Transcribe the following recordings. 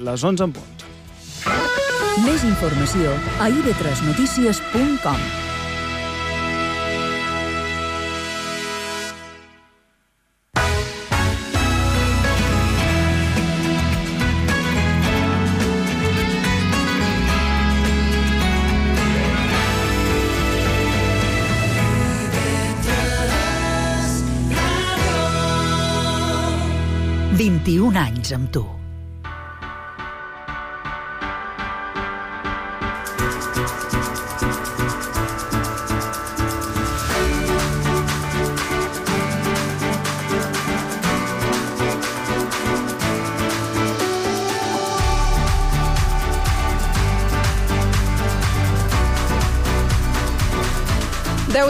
les 11 en punt. Més informació a ib3notícies.com. «21 anys amb tu».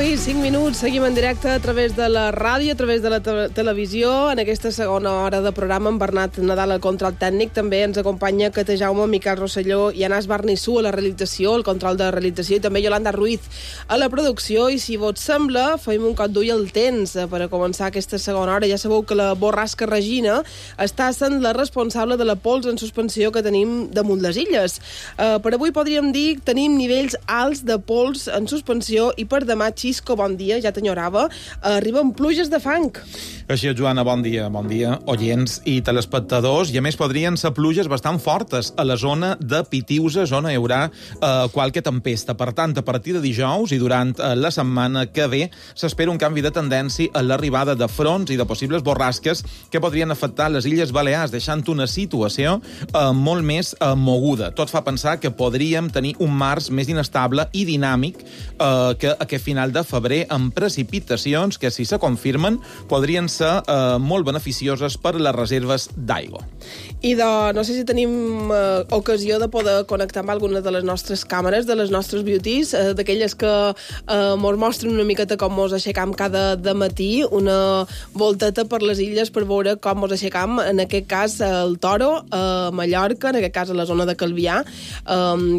I 5 minuts, seguim en directe a través de la ràdio, a través de la televisió. En aquesta segona hora de programa, en Bernat Nadal al control tècnic. També ens acompanya Cate Jaume, Miquel Rosselló i Anas Barnissú a la realització, el control de realització, i també Yolanda Ruiz a la producció. I si vos sembla, feim un cop d'ull al temps per a començar aquesta segona hora. Ja sabeu que la borrasca Regina està sent la responsable de la pols en suspensió que tenim damunt les illes. Per avui podríem dir que tenim nivells alts de pols en suspensió i per demà, Xisco, bon dia, ja t'enyorava. Arriben pluges de fang. Així és, Joana, bon dia, oients i telespectadors. I a més podrien ser pluges bastant fortes a la zona de Pitiusa, zona hi haurà qualque tempesta. Per tant, a partir de dijous i durant la setmana que ve s'espera un canvi de tendència a l'arribada de fronts i de possibles borrasques que podrien afectar les Illes Balears, deixant una situació molt més moguda. Tot fa pensar que podríem tenir un març més inestable i dinàmic que aquest final de febrer, amb precipitacions que, si se confirmen, podrien ser molt beneficioses per a les reserves d'aigua. I no sé si tenim ocasió de poder connectar amb alguna de les nostres càmeres, de les nostres beauties, d'aquelles que mos mostren una miqueta com mos aixecam cada matí, una volteta per les illes per veure com mos aixecam, en aquest cas el Toro, a Mallorca, en aquest cas a la zona de Calvià,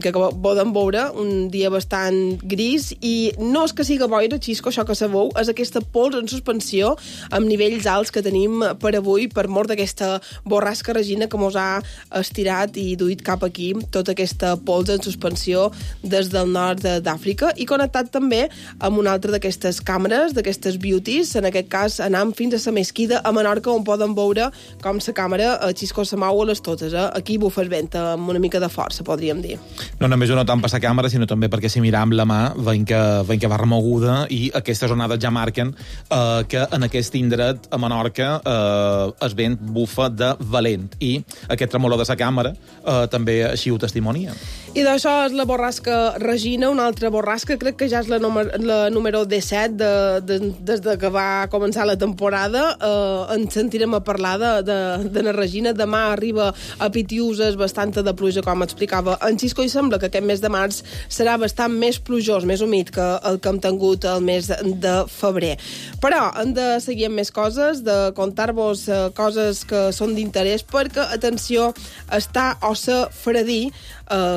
que podem veure un dia bastant gris, i no és que siga boira, Xisco, això que sabeu, és aquesta pols en suspensió amb nivells alts que tenim per avui, per mort d'aquesta borrasca Regina que mos ha estirat i duit cap aquí tota aquesta pols en suspensió des del nord d'Àfrica, i connectat també amb una altra d'aquestes càmeres, d'aquestes beauties. En aquest cas anam fins a la Mesquida, a Menorca, on poden veure com la càmera Xisco se mou a les totes. Aquí bufa el vent amb una mica de força, podríem dir. No només no tant per la càmera, sinó també perquè si miram la mà veiem que va remoguda, i aquestes onades ja marquen que en aquest indret, a Menorca, el vent bufa de valent, i aquest tremolor de la càmera també així ho testimonia. I d'això és la borrasca Regina, una altra borrasca, crec que ja és la número 17 des que va començar la temporada. Ens sentirem a parlar de la Regina. Demà arriba a Pitiuses bastanta de pluja, com explicava en Xisco, i sembla que aquest mes de març serà bastant més plujós, més humit que el que hem tingut el mes de febrer. Però hem de seguir amb més coses, de contar-vos coses que són d'interès, perquè, atenció, està o ser fredí,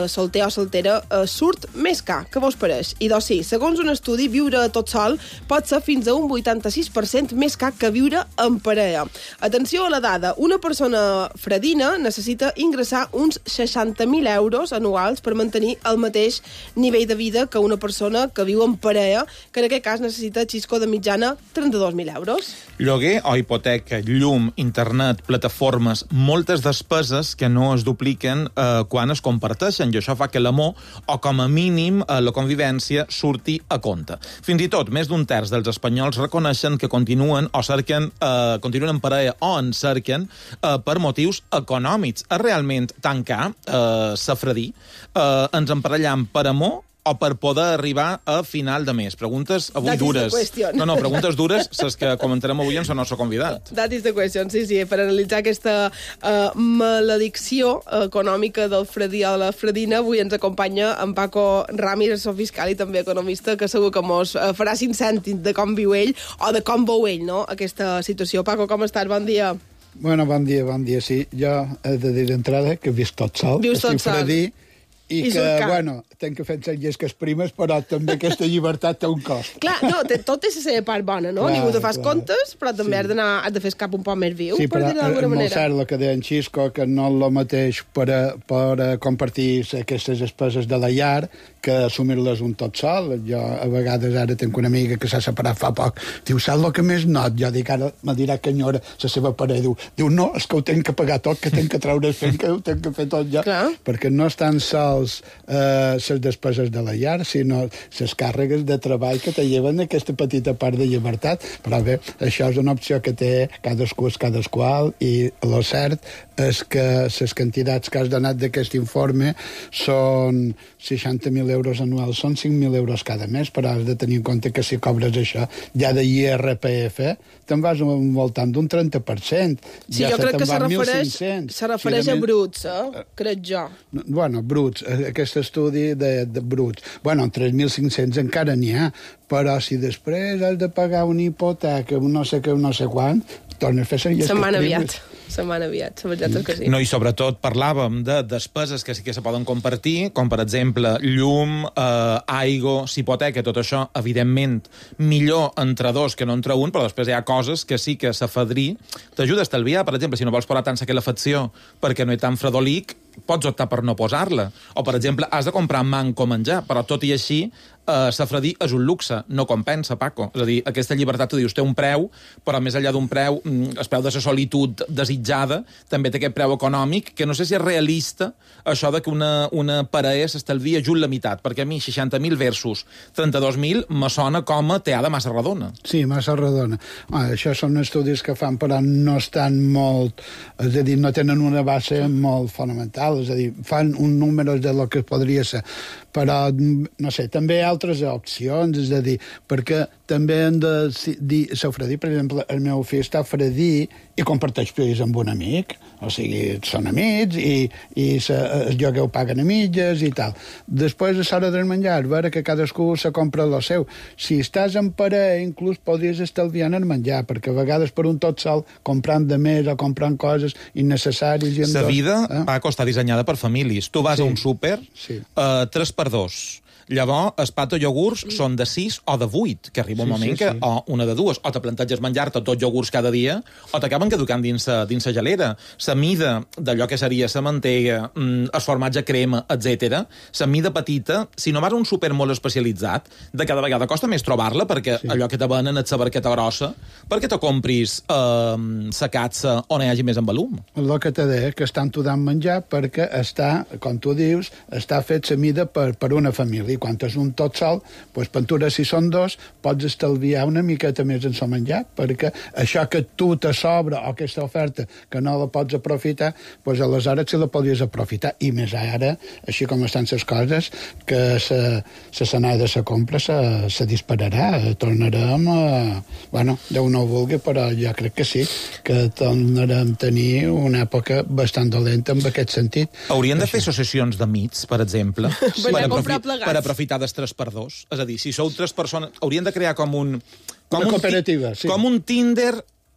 solter o soltera, surt més car. Què vos pareix? I doncs sí, segons un estudi, viure tot sol pot ser fins a un 86% més car que viure en parella. Atenció a la dada, una persona fredina necessita ingressar uns 60.000 euros anuals per mantenir el mateix nivell de vida que una persona que viu en parella, que en aquest cas necessita, Xisco, de mitjana 32.000 euros. Lloguer o hipoteca, llum, internet, plataformes, moltes despeses que no es dupliquen quan es comparteixen, i això fa que l'amor, o com a mínim la convivència, surti a compte. Fins i tot, més d'un terç dels espanyols reconeixen que continuen en parella o en cerquen per motius econòmics. És realment tan car ser fredí? Ens emparellam per amor o per poder arribar a final de mes? Preguntes avui dures. No, preguntes dures, les que comentarem avui amb el nostre convidat. That is the question, sí, per analitzar aquesta maledicció econòmica del fredí o la fredina. Avui ens acompanya en Paco Ramírez, assessor fiscal i també economista, que segur que mos farà 5 cèntims de com viu ell o de com veu ell, no?, aquesta situació. Paco, com estàs? Bon dia. Bueno, bon dia, sí. Jo he de dir d'entrada que visc tot sol. Vius tot sol. Fredí, I que, bueno, tenc que fer les llesques primes, però també aquesta llibertat té un cost. Clar, no, tot té la seva part bona, no? Ningú te fas comptes, però també has de fer el cap un poc més viu, per dir-ho d'alguna manera. És molt cert el que deia en Xisco, que no és el mateix per compartir aquestes despeses de la llar que assumir-les un tot sol. Jo, a vegades, ara tenc una amiga que s'ha separat fa poc. Diu, saps el que més not? Jo dic, ara me dirà que enyora la seva parella. Diu, no, és que ho tenc que pagar tot, que tenc que treure fent, que ho tenc que fer tot jo. Clar. Perquè no estan sols les despeses de la llar, sinó les càrregues de treball que te lleven aquesta petita part de llibertat. Però bé, això és una opció que té cadascú és cadasqual, i el cert és que les quantitats que has donat d'aquest informe són 60.000 euros anuals, són 5.000 euros cada mes, però has de tenir en compte que si cobres això ja de IRPF, te'n vas al voltant d'un 30%. Sí, ja jo crec que se refereix a bruts, crec jo. Bueno, bruts, aquest estudi de bruts. Bueno, en 3.500 encara n'hi ha, però si després has de pagar una hipoteca, un no sé què, un no sé quant, torna a fer ser llesques primes. Se'n van aviat, la veritat és que sí. No, i sobretot parlàvem de despeses que sí que se poden compartir, com per exemple llum, aigua, hipoteca, tot això, evidentment, millor entre dos que no entre un, però després hi ha coses que sí que s'afadrir t'ajuda a estalviar. Per exemple, si no vols posar tant la calefacció perquè no hi ha tant fredolic, pots optar per no posar-la. O, per exemple, has de comprar manco menjar, però tot i així, s'afredir és un luxe, no compensa, Paco. És a dir, aquesta llibertat, tu dius, té un preu, però més enllà d'un preu, el preu de la solitud desitjada, també té aquest preu econòmic, que no sé si és realista, això de que una parella s'estalvia just la meitat, perquè a mi 60.000 versus 32.000 me sona com a teada massa redona. Sí, massa redona. Això són estudis que fan, però no estan molt... És a dir, no tenen una base molt fonamental, és a dir, fan un número de lo que podria ser. Però, no sé, també hi ha altres opcions, és a dir, perquè també hem de s'ofredir, per exemple, el meu fill està a fredir i comparteix pis amb un amic, o sigui, són amics i el lloguer ho paguen a mitges i tal. Després, a l'hora del menjar, veure que cadascú se compra el seu. Si estàs en parella, inclús podries estalviar en el menjar, perquè a vegades per un tot sol, comprant de més o comprant coses innecessàries... La vida, Paco, està dissenyada per famílies. Tu vas a un súper, 3x2. Llavors, els pato iogurts són de 6 o de 8, que arriba un moment que o una de dues, o te planteges menjar-te tots iogurts cada dia, o t'acaben caducant dins la gelera. La mida d'allò que seria la mantega, el formatge crema, etc. La mida petita, si no vas a un súper molt especialitzat, de cada vegada costa més trobar-la, perquè allò que te venen és la barqueta grossa, perquè te compris la catsa on hi hagi més en volum. El que te deia, que estan tudant menjar perquè està, com tu dius, està fet la mida per una família. I quan és un tot sol, doncs, pentura, si són dos, pots estalviar una miqueta més en el menjar, perquè això que tu te sobra o aquesta oferta que no la pots aprofitar, doncs aleshores sí la podries aprofitar. I més ara, així com estan les coses, que l'escenari de la compra se dispararà. Tornarem a... Bueno, Déu no ho vulgui, però jo crec que sí, que tornarem a tenir una època bastant dolenta en aquest sentit. Haurien de fer associacions d'amics, per exemple, per aprofitar dels 3x2. És a dir, si sou 3 persones, haurien de crear com una cooperativa, sí. Com un Tinder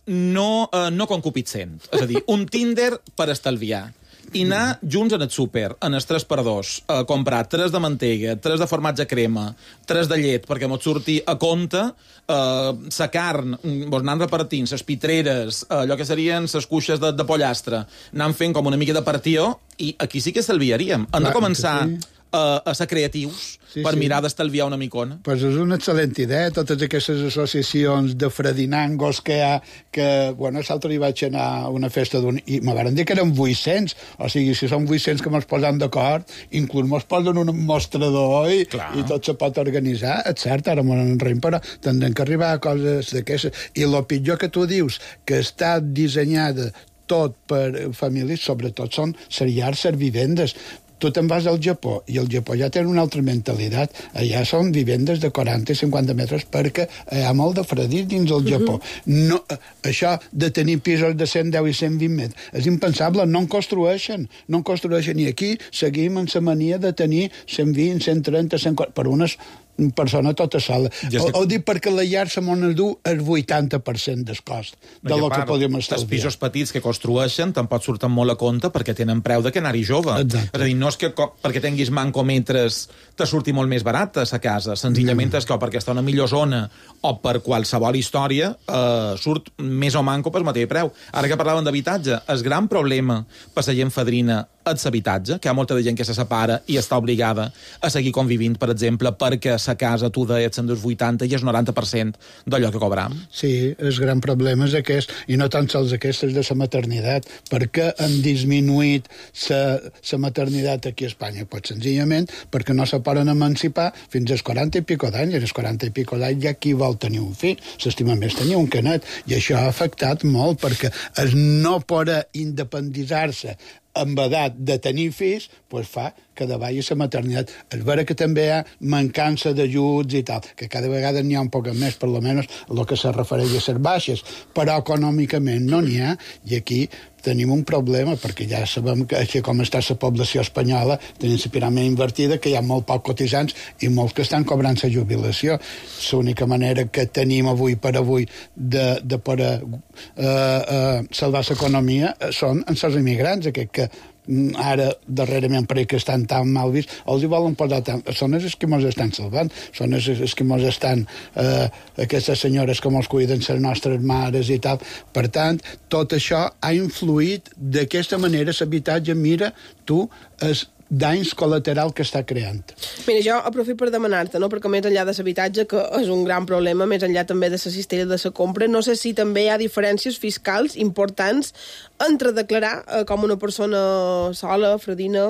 no concupiscent. És a dir, un Tinder per estalviar. I anar junts en el súper, en els 3x2, a comprar 3 de mantega, 3 de formatge crema, 3 de llet, perquè mos surti a compte, la carn, anant repartint, les pitreres, allò que serien les cuixes de pollastre, anant fent com una mica de partió, i aquí sí que estalviaríem. Hem de començar a ser creatius per mirar d'estalviar una micona. Pues és una excel·lent idea, totes aquestes associacions de fredinangos que hi ha, que, bueno, l'altre hi vaig anar a una festa i me van dir que eren 800, o sigui, si són 800 que mos posen d'acord, inclús mos posen un mostrador i tot se pot organitzar, és cert, ara m'ho enreim, però tindrem que arribar a coses d'aquestes. I el pitjor que tu dius, que està dissenyada tot per famílies, sobretot són les llars, les vivendes. Tu te'n vas al Japó, i el Japó ja té una altra mentalitat. Allà són vivendes de 40 i 50 metres perquè hi ha molt de fredit dins el Japó. No, això de tenir pisos de 110 i 120 metres és impensable, no en construeixen. I aquí seguim amb la mania de tenir 120, 130, 140, per unes persona tota sola. Ho dic perquè la llar se m'on du el 80% del cost de lo que podríem estalviar. Els pisos petits que construeixen tampoc surten molt a compte perquè tenen preu de que anar-hi jove. Exacte. És a dir, no és que perquè tinguis mancometres te surti molt més barat a sa casa, senzillament és que perquè està en una millor zona o per qualsevol història surt més o manco per mateix preu. Ara que parlaven d'habitatge, el gran problema per la gent fadrina és l'habitatge, que hi ha molta de gent que se separa i està obligada a seguir convivint, per exemple, perquè sa casa, tu deies, en dels 80 i és 90% d'allò que cobram. Sí, el gran problema és aquest, i no tan sols aquest, és de la maternitat, perquè han disminuït la maternitat aquí a Espanya, pues senzillament perquè no se poden emancipar fins als 40 i pico d'anys, i als 40 i pico d'anys ja qui vol tenir un fill, s'estima més tenir un canet, i això ha afectat molt, perquè el no poder independitzar-se amb edat de tenir fills, pues fa que davalli la maternitat. És vera que també hi ha mancança d'ajuts i tal, que cada vegada n'hi ha un poc més, per almenys el que se refereix a les baixes, però econòmicament no n'hi ha, i aquí tenim un problema, perquè ja sabem que així com està la població espanyola, tenim la piràmide invertida, que hi ha molt poc cotitzants i molts que estan cobrant la jubilació. L'única manera que tenim avui per avui de poder salvar l'economia són els immigrants, aquests que ara, darrerament, perquè estan tan mal vist, els hi volen posar tant. Són els que mos estan salvant, són els que mos estan aquestes senyores que mos cuiden les nostres mares i tal. Per tant, tot això ha influït d'aquesta manera l'habitatge, mira, tu, danys col·lateral que està creant. Mira, jo aprofito per demanar-te, no? Perquè més enllà de l'habitatge, que és un gran problema, més enllà també de la cistella de la compra, no sé si també hi ha diferències fiscals importants entre declarar com una persona sola, fredina,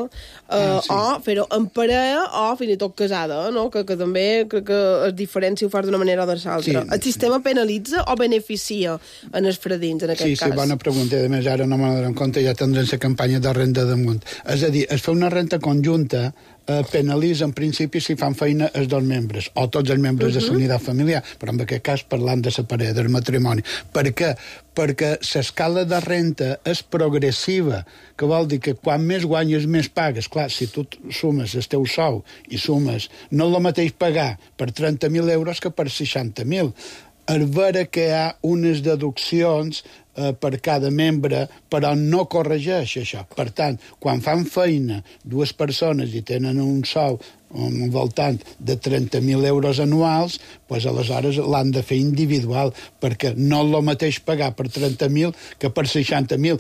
sí, o fer-ho en parella o fins i tot casada, no? Que també crec que és diferent si ho fas d'una manera o de l'altra. Sí. El sistema penalitza o beneficia en els fredins, en aquest cas? Sí, bona pregunta. A més, ara no me n'adon compte, ja tindrem la campanya de renda damunt. És a dir, es fa una renta conjunta penalitza en principi si fan feina els dos membres o tots els membres de la unitat familiar, però en aquest cas parlant de la parella, del matrimoni. Per què? Perquè l'escala de renta és progressiva, que vol dir que quan més guanyes més pagues. Clar, si tu sumes el teu sou i sumes, no és el mateix pagar per 30.000 euros que per 60.000. És vera que hi ha unes deduccions per cada membre, però no corregeix això. Per tant, quan fan feina dues persones i tenen un sou al voltant de 30.000 euros anuals, doncs aleshores l'han de fer individual, perquè no és el mateix pagar per 30.000 que per 60.000,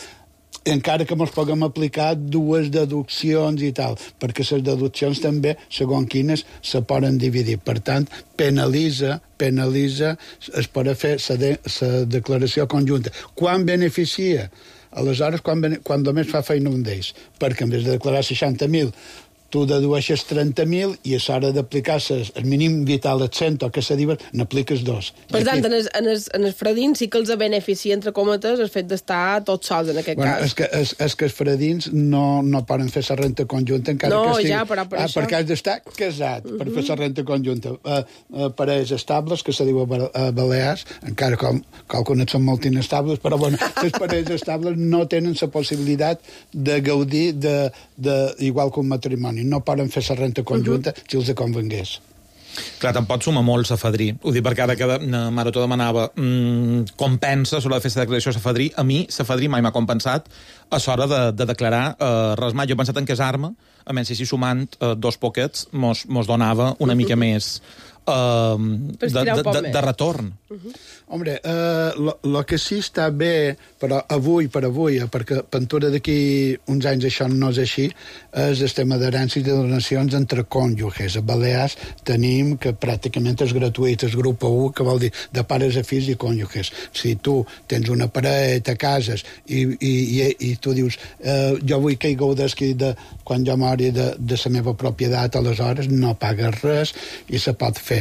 encara que ens puguem aplicar dues deduccions i tal, perquè les deduccions també, segons quines, se poden dividir. Per tant, penalitza es pot fer la declaració conjunta. Quan beneficia? Aleshores, quan només fa feina un d'ells, perquè en vez de declarar 60.000, tu dedueixes 30.000 i a l'hora d'aplicar el mínim vital al 100 o que se diuen, n'apliques dos. Per tant, en els fredins sí que els beneficia, entre cometes, el fet d'estar tots sols, en aquest cas. És que els fredins no poden fer la renta conjunta encara que estigui... No, ja, però per això... Perquè has d'estar casat per fer la renta conjunta. Parelles estables, que se diu a Balears, encara com algunes són molt inestables, però bueno, les parelles estables no tenen la possibilitat de gaudir igual que un matrimoni. No poden fer la renta conjunta si els convengués. Clar, tampoc suma molt la fadrí. Ho dic perquè ara que Marató demanava com pensa sobre la festa de declaració de la fadrí. A mi, la fadrí mai m'ha compensat a l'hora de declarar res mai. Jo he pensat en casar-me, a menys si sumant dos poquets mos donava una mica més de retorn. Hombre, el que sí està bé, però avui, perquè pintura d'aquí uns anys això no és així, és el tema d'herències i de donacions entre cònjuges. A Balears tenim que pràcticament és gratuït, és grup 1, que vol dir de pares a fills i cònjuges. Si tu tens una parella, te cases i tu dius jo vull que hi gaudesqui quan jo mori de la meva propietat, aleshores no pagues res i se pot fer.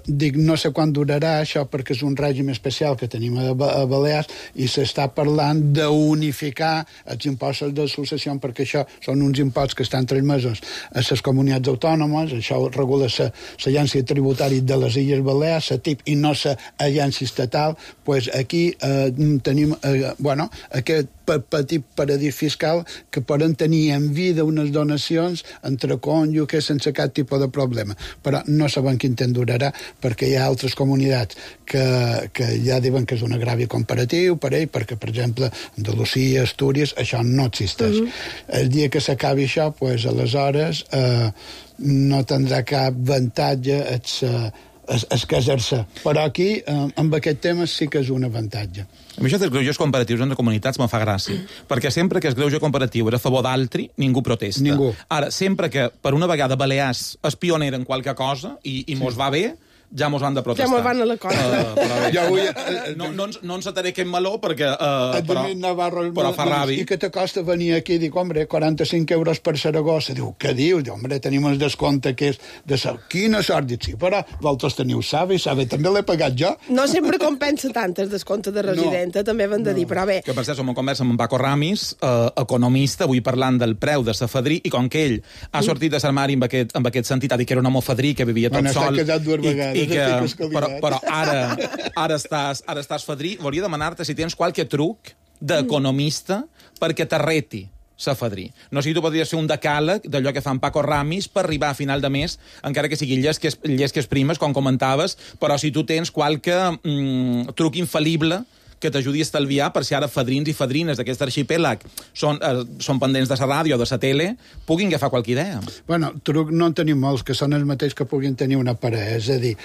Dic, no sé quan durarà això perquè és un règim especial que tenim a Balears i s'està parlant d'unificar els impostos de successió perquè això són uns imposts que estan 3 mesos a les comunitats autònomes, això regula l'agència tributària de les Illes Balears, la TIP i no l'agència estatal, doncs aquí tenim aquest petit paradís fiscal que poden tenir en vida unes donacions entre cònjuges sense cap tipus de problema. Però no sabem quin temps durarà perquè hi ha altres comunitats que ja diuen que és un agravi comparatiu per ell, perquè, per exemple, Andalusia, Astúries, això no existeix. El dia que s'acabi això, doncs, aleshores no tindrà cap avantatge es casar-se. Però aquí, amb aquest tema, sí que és un avantatge. A mi això dels greuges comparatius entre comunitats me fa gràcia, perquè sempre que el greuge comparatiu era a favor d'altri, ningú protesta. Ningú. Ara, sempre que per una vegada Balears és pioner en qualque cosa i mos va bé, ja mos van de protestar. Ja mos van a la cosa. No ens ataré aquest meló perquè... Però fa ràbia. I què te costa venir aquí i dir, hombre, 45 euros per Saragossa? Diu, què dius? Diu, hombre, tenim un descompte que és de sal. Quina sort! Dic, sí, però vosaltres teniu Sabe també l'he pagat jo. No sempre compensa tant el descompte de residenta, també van de dir, però bé. Que per cert, som en conversa amb en Paco Ramis, economista, avui parlant del preu de sa fadrí, i com que ell ha sortit de l'armari amb aquest sentit, ha dit que era un home fadrí, que vivia tot sol... S'ha casat 2 vegades. Però ara estàs fadrí, volia demanar-te si tens qualque truc d'economista perquè t'arreti sa fadrí. No sé si tu podries fer un decàleg d'allò que fan Paco Ramis per arribar a final de mes, encara que sigui llesques primes, com comentaves, però si tu tens qualque truc infal·lible que t'ajudi a estalviar per si ara fadrins i fadrines d'aquest arxipèlag són pendents de la ràdio o de la tele, puguin agafar qualque idea. Bueno, truc no en tenim molts, que són els mateixos que puguin tenir una parella. És a dir,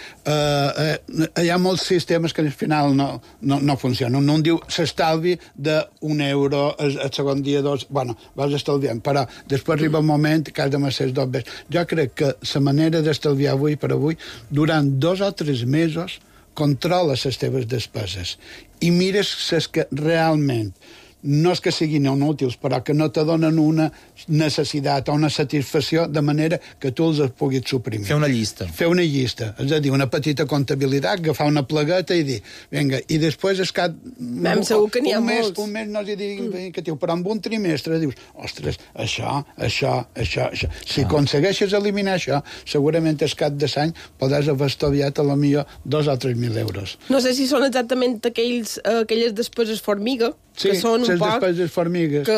hi ha molts sistemes que al final no funcionen. Un diu s'estalvi d'1 € el segon dia, 2... Bueno, vas estalviant, però després arriba un moment que has de ser 2 vegades. Jo crec que la manera d'estalviar avui per avui, durant 2 o 3 mesos, controla les teves despeses i mires les que realment no és que siguin inútils, però que no te donen una necessitat o una satisfacció de manera que tu els puguis suprimir. Fer una llista. Fer una llista, és a dir, una petita comptabilitat, agafar una plegueta i dir, vinga, i després és que... Segur que n'hi ha molts. Un mes no els hi diguin que però en un trimestre dius, ostres, això. Si aconsegueixes eliminar això, segurament el cap de l'any podràs haver estalviat a la millor 2 o 3.000 euros. No sé si són exactament aquelles despeses formiga, que són un poc... despeses formigues. Que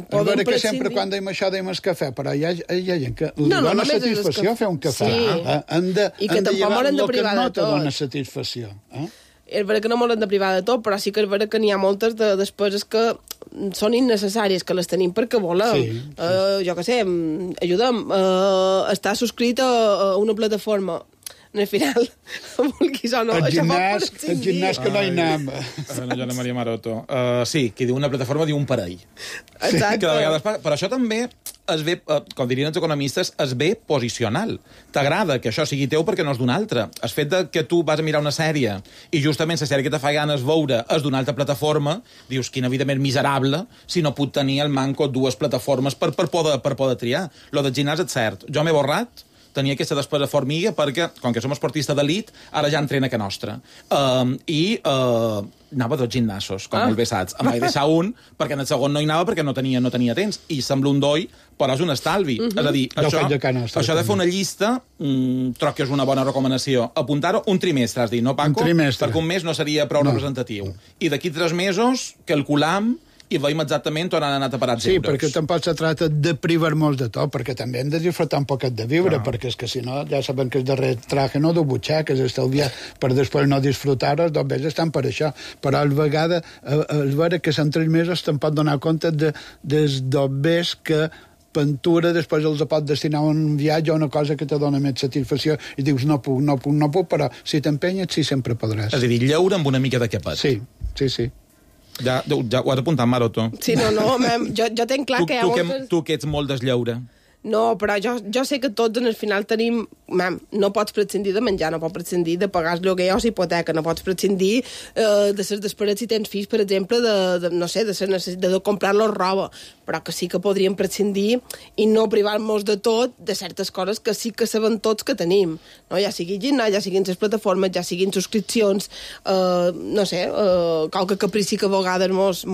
poden que sempre quan dèiem això dèiem el cafè, però hi ha gent que li dona satisfacció fer un cafè. I que tampoc moren de privar de tot. No te dona satisfacció. És vera que no moren de privar de tot, però sí que és vera que n'hi ha moltes de despeses que són innecessàries, que les tenim perquè volem. Jo què sé, ajuda'm, està subscrit a una plataforma. Al final, vulguis o no, el gimnàs que no hi anem. Joana Maria Maroto. Sí, qui diu una plataforma diu un parell. Exacte. Que de vegades passa. Però això també es ve, com dirien els economistes, es ve posicional. T'agrada que això sigui teu perquè no és d'un altre. El fet que tu vas a mirar una sèrie i justament la sèrie que te fa ganes veure és d'una altra plataforma, dius, quina vida més miserable si no puc tenir al manco 2 plataformes per poder triar. Lo del gimnàs és cert. Jo m'he borrat, tenia aquesta despesa formiga perquè, com que som esportista d'elit, ara ja entrena que nostra. Anava a 2 gimnasos, com molt bé saps. Em vaig deixar un, perquè en el segon no hi anava perquè no tenia temps. I sembla un doi, però és un estalvi. És a dir, això de fer una llista, troc que és una bona recomanació. Apuntar-ho un trimestre, has dit, no, Paco? Un trimestre. Perquè un mes no seria prou representatiu. I d'aquí 3 mesos, calculam i veiem exactament on han anat a parar els euros. Sí, perquè tampoc se tracta de privar molts de tot, perquè també hem de disfrutar un poquet de viure, perquè és que si no, ja saben que és darrer traje no de butxaques, estalviar per després no disfrutar-ho, doncs bé, estan per això. Però a vegades, és vera que en 3 mesos te'n pot donar compte dels dobbers que pintura, després els pot destinar a un viatge o una cosa que te dona més satisfacció i dius, no puc, però si t'empenyes, sí, sempre podràs. És a dir, lleure amb una mica de capet. Sí. Ja ho has apuntat, Maroto. Sí, no, jo tenc clar que hi ha moltes... Tu que ets molt deslleure. No, però jo sé que tots en el final tenim... no pots prescindir de menjar, no pots prescindir de pagar el lloguer o hipoteca, no pots prescindir de les despeses si tens fills, per exemple, de comprar-los roba, però que sí que podríem prescindir i no privar-nos de tot de certes coses que sí que sabem tots que tenim, no? Ja sigui gimnàs, ja siguin les plataformes, ja siguin subscripcions, qualque caprici que a vegades mos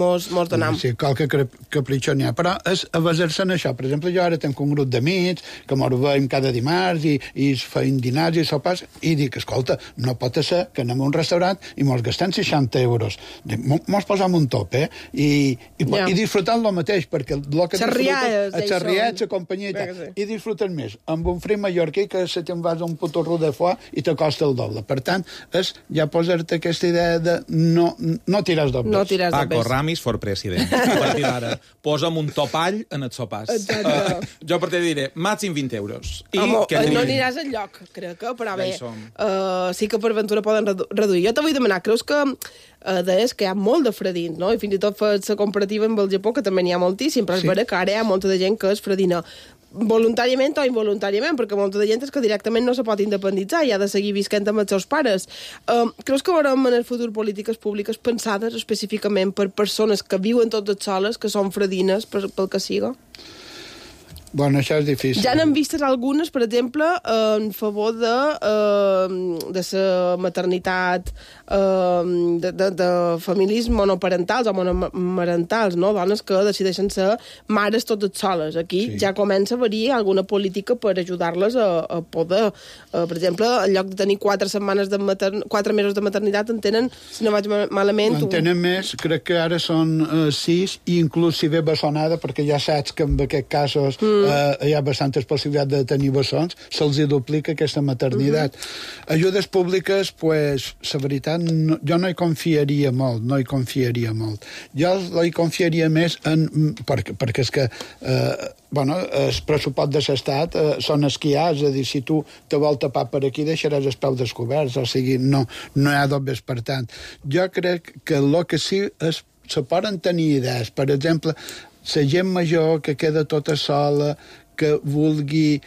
donam. Sí, qualque capritxó n'hi ha, però és a basar-se en això. Per exemple, jo ara tenc un grup d'amics que mos veiem cada dimarts i feim dinars i sopars i dic, escolta, no pot ser que anem a un restaurant i mos gastem 60 euros. Mos posam un top, i disfrutant lo mateix, perquè el que disfrutes, els xerriats, la companyia i tal, i disfrutes més amb un fri mallorquí que se te'n vas a un putorro de foie i te costa el doble. Per tant, és ja posar-te aquesta idea de no tirar dobles. No tirar dobles. Paco Ramis for president. A partir d'ara, posa'm un topall en els sopars. Jo a partir diré, màxim 20 euros. No aniràs enlloc, crec que, però bé, sí que per aventura poden reduir. Jo te vull demanar, creus que deies que hi ha molt de fredins, no? I fins i tot fas la comparativa amb el Japó, que també n'hi ha moltíssim, però és vera que ara hi ha molta de gent que és fredina voluntàriament o involuntàriament, perquè molta de gent és que directament no se pot independitzar i ha de seguir visquent amb els seus pares. Creus que veurem en el futur polítiques públiques pensades específicament per persones que viuen totes soles, que són fredines pel que siga? Bueno, això és difícil. Ja n'hem vistes algunes, per exemple, en favor de la maternitat, de familis monoparentals o monomarentals, no? Dones que decideixen ser mares totes soles. Aquí ja comença a haver-hi alguna política per ajudar-les a poder. Per exemple, en lloc de tenir 4 mesos de maternitat, en tenen, si no vaig malament... En tenen més, crec que ara són 6, i inclús si ve bessonada, perquè ja saps que en aquests casos hi ha bastantes possibilitats de tenir bessons, se'ls duplica aquesta maternitat. Ajudes públiques, pues, la veritat, jo no hi confiaria molt, Jo hi confiaria més perquè és que el pressupost de l'Estat són els que hi ha, és a dir, si tu te vol tapar per aquí deixaràs els peus descoberts, o sigui, no hi ha dobles per tant. Jo crec que el que sí és, se poden tenir idees, per exemple, la gent major que queda tota sola, que vulgui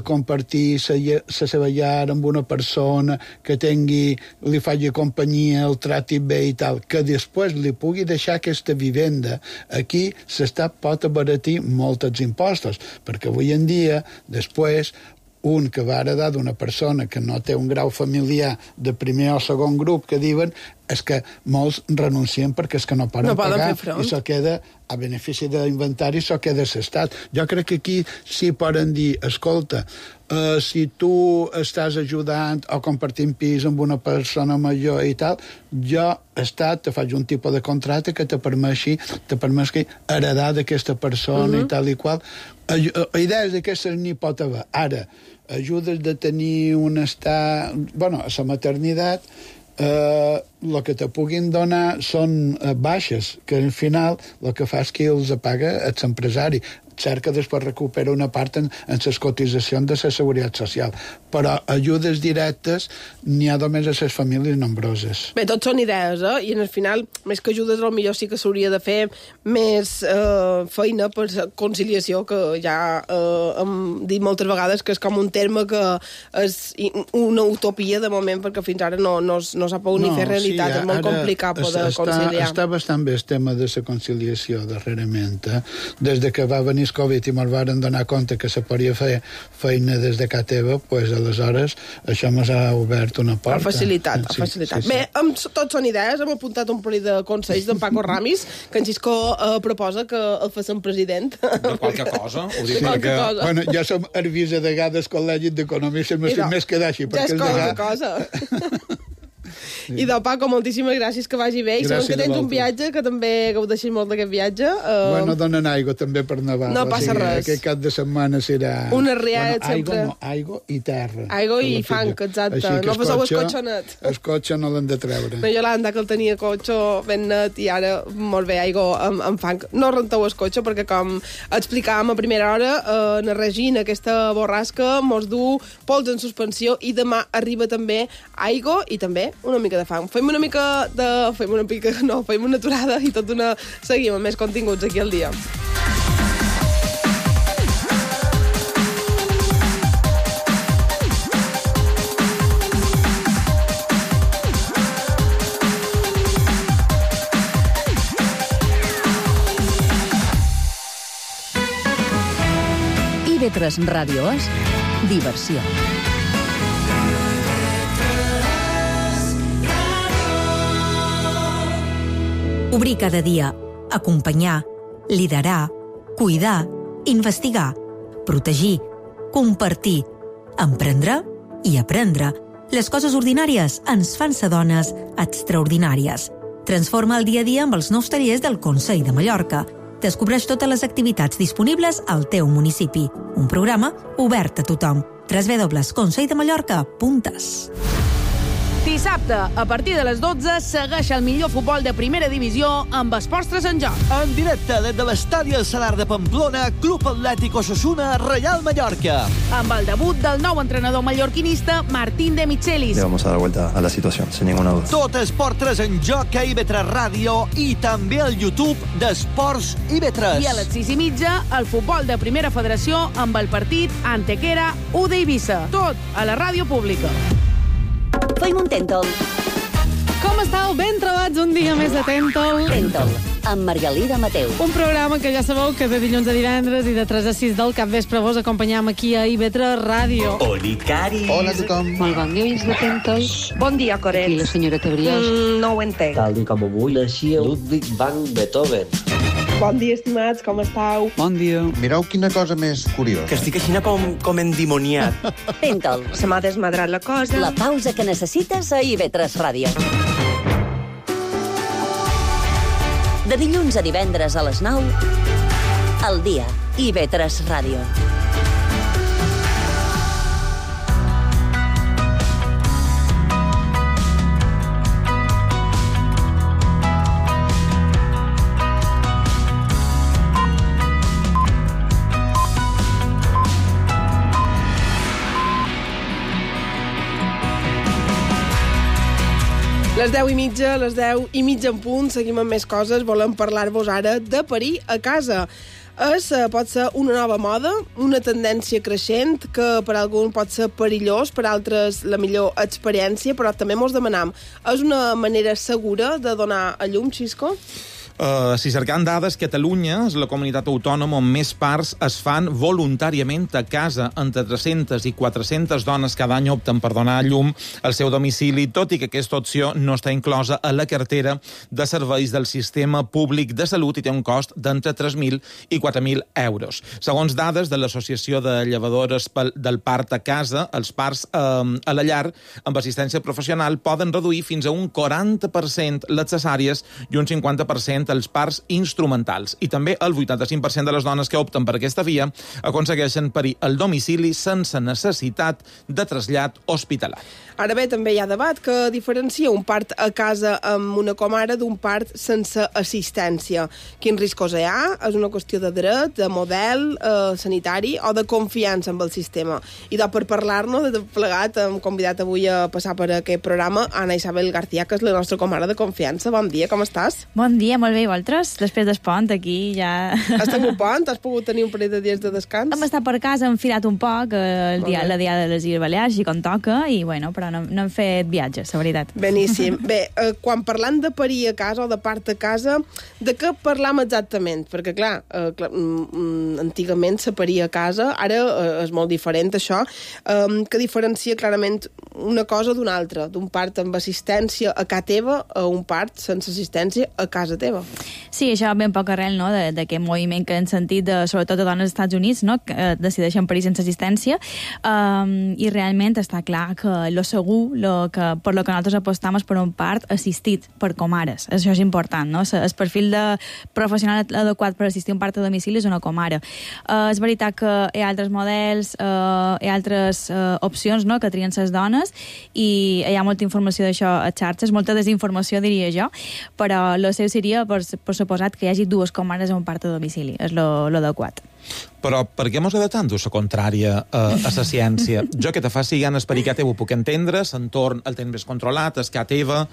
compartir la seva llar amb una persona, que li faci companyia, el trati bé i tal, que després li pugui deixar aquesta vivenda. Aquí l'Estat pot abaratir molts els impostos, perquè avui en dia, després, un que va heredar d'una persona que no té un grau familiar de primer o segon grup, que diuen, és que molts renuncien perquè és que no poden pagar i s'ho queda a benefici de l'inventari, s'ho queda l'Estat. Jo crec que aquí sí poden dir, escolta, si tu estàs ajudant o compartint pis amb una persona major i tal, jo, Estat, te faig un tipus de contracte que te permeti heredar d'aquesta persona i tal i qual. Idees d'aquestes n'hi pot haver. Ara, ajudes de tenir un estat... Bueno, a la maternitat, el que te puguin donar són baixes, que al final el que fa és que els paga l'empresari. Cert que després recupera una part en les cotitzacions de la Seguretat Social, però ajudes directes n'hi ha només a les famílies nombroses. Bé, tot són idees, i en el final, més que ajudes, potser sí que s'hauria de fer més feina per conciliació, que ja hem dit moltes vegades que és com un terme que és una utopia de moment, perquè fins ara no s'ha pogut ni fer realitat, és molt complicat poder conciliar. Està bastant bé el tema de la conciliació darrerament. Des de que va venir el Covid i me'l varen donar compte que se podia fer feina des de casa teva, doncs aleshores això ens ha obert una porta. Ha facilitat. Bé, tots són idees, hem apuntat un parell de consells d'en Paco Ramis, que en Xisco proposa que el facin president. De qualque cosa. Bueno, ja som herbis a vegades col·legis d'economistes, més que d'així. Ja és qualque cosa. I de Paco, moltíssimes gràcies, que vagi bé. I sabem que tens un viatge, que també gaudeixis molt d'aquest viatge. Bueno, donen aigua també per Nadal. No passa res. Aquest cap de setmana serà... Una riada sempre. Aigua i terra. Aigua i fang, exacte. No poseu el cotxe. El cotxe no l'han de treure. No, Yolanda, que el tenia cotxe ben net i ara molt bé, aigua amb fang. No renteu el cotxe perquè, com explicàvem a primera hora, en Regina, aquesta borrasca mos du pols en suspensió i demà arriba també aigua i també una mica de fang. Fem una aturada i seguim amb més continguts aquí al dia. IB3 Ràdio és diversió. Obrir cada dia, acompanyar, liderar, cuidar, investigar, protegir, compartir, emprendre i aprendre. Les coses ordinàries ens fan ser dones extraordinàries. Transforma el dia a dia amb els nous tallers del Consell de Mallorca. Descobreix totes les activitats disponibles al teu municipi. Un programa obert a tothom. www.conselldeMallorca.es. Dissabte, a partir de les 12, segueix el millor futbol de primera divisió amb Esports 3 en joc. En directe des de l'estadi El Salar de Pamplona, Club Atlètic Osasuna, Real Mallorca. Amb el debut del nou entrenador mallorquinista, Martín de Michelis. Le vamos a dar vuelta a la situación, sin ninguna duda. Tot Esports 3 en joc a IB3 Ràdio i també al YouTube d'Esports IB3. I a les 6:30, el futbol de primera federació amb el partit Antequera U d'Eivissa. Tot a la ràdio pública. Feim un Tèntol. Com estàu? Ben trobats un dia més de Tèntol. Tèntol, amb Margalida Mateu. Un programa que ja sabeu que de dilluns a divendres i de 3 a 6 del capvespre vos acompanyam aquí a IB3 Ràdio. Olicaris. Hola a tothom. Molt bon dia, de Tèntol. Bon dia, Coret. I la senyora Tebriós. No ho entenc. Tal com avui naixia Ludwig van Beethoven. Bon dia, estimats, com estàu? Bon dia. Mireu quina cosa més curiosa. Que estic així com endimoniat. Tèntol. Se m'ha desmadrat la cosa. La pausa que necessites a IB3 Ràdio. De dilluns a divendres a les 9, al dia, IB3 Ràdio. Les 10:30, les 10:30 en punt, seguim amb més coses. Volem parlar-vos ara de parir a casa. Pot ser una nova moda, una tendència creixent, que per algun pot ser perillós, per altres la millor experiència, però també mos demanam, és una manera segura de donar a llum, Xisco? Si cercant dades, Catalunya és la comunitat autònoma on més parts es fan voluntàriament a casa. Entre 300 i 400 dones cada any opten per donar a llum al seu domicili, tot i que aquesta opció no està inclosa a la cartera de serveis del sistema públic de salut i té un cost d'entre 3.000 i 4.000 euros. Segons dades de l'Associació de Llevadores del Part a Casa, els parts a la llar amb assistència professional poden reduir fins a un 40% les cesàries i un 50% els parts instrumentals. I també el 85% de les dones que opten per aquesta via aconsegueixen parir al domicili sense necessitat de trasllat hospitalari. Ara bé, també hi ha debat que diferencia un part a casa amb una comare d'un part sense assistència. Quins riscos hi ha? És una qüestió de dret, de model sanitari o de confiança amb el sistema. I per parlar-nos de plegat hem convidat avui a passar per aquest programa Ana Isabel García, que és la nostra comare de confiança. Bon dia, com estàs? Bon dia, molt bé, i vosaltres? Després del pont, aquí ja... Has tingut pont? Has pogut tenir un parell de dies de descans? Hem estat per casa, hem filat un poc la diada de les Illes Balears, i com toca, i bueno, però no hem fet viatges, la veritat. Beníssim. Bé, quan parlant de parir a casa o de part a casa, de què parlam exactament? Perquè, clar, antigament se paria a casa, ara és molt diferent, això, que diferencia clarament una cosa d'una altra, d'un part amb assistència a casa teva a un part sense assistència a casa teva. Sí, això ve un poc arrel, no?, d'aquest moviment que hem sentit, sobretot de dones dels Estats Units, no?, que decideixen parir sense assistència, i realment està clar que lo segur, per lo que nosaltres apostam és per un part assistit per comares. Això és important, no? El perfil de professional adequat per assistir a un part a domicili és una comare. És veritat que hi ha altres models, hi ha altres opcions, no?, que trien les dones, i hi ha molta informació d'això a xarxes, molta desinformació, diria jo, però el seu seria, per suposat, que hi hagi dues comares a un part a domicili. És lo adequat. Però per què mos ha de tant la contrària a la ciència? Jo que te faci ganes per que teva ho puc entendre, l'entorn el tens més controlat, és que teva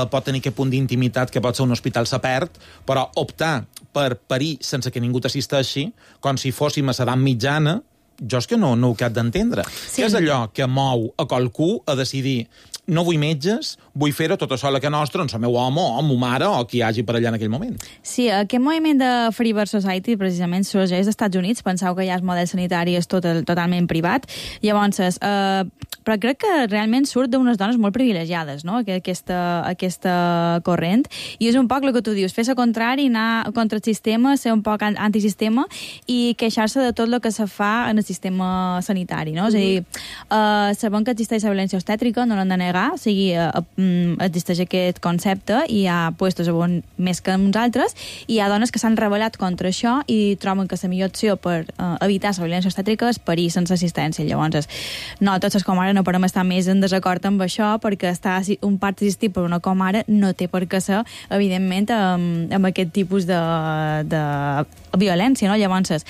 pot tenir aquest punt d'intimitat que pot ser un hospital se perd, però optar per parir sense que ningú t'assisteixi, com si fóssim a l'edat mitjana, jo és que no ho cap d'entendre. Sí. Què és allò que mou a qualcú a decidir no vull metges, vull fer-ho tot això a la que nostra, doncs el meu home o ma mare o qui hi hagi per allà en aquell moment. Sí, aquest moviment de Free Birth Society precisament sorgeix als Estats Units. Penseu que ja el model sanitari és totalment privat. Llavors, però crec que realment surt d'unes dones molt privilegiades, no?, aquesta corrent. I és un poc el que tu dius, fer-se contrari, anar contra el sistema, ser un poc antisistema i queixar-se de tot el que se fa en el sistema sanitari, no? És a dir, sabem que existeix la violència obstètrica, no l'hem de negar, o sigui, existeix aquest concepte i hi ha puestos on més que uns altres, i hi ha dones que s'han rebel·lat contra això i troben que la millor opció per evitar la violència obstètrica és parir sense assistència. Llavors, nosaltres com ara no podem estar més en desacord amb això, perquè estar un part assistit per una comare no té per què ser, evidentment, amb aquest tipus de violència, no? Llavors,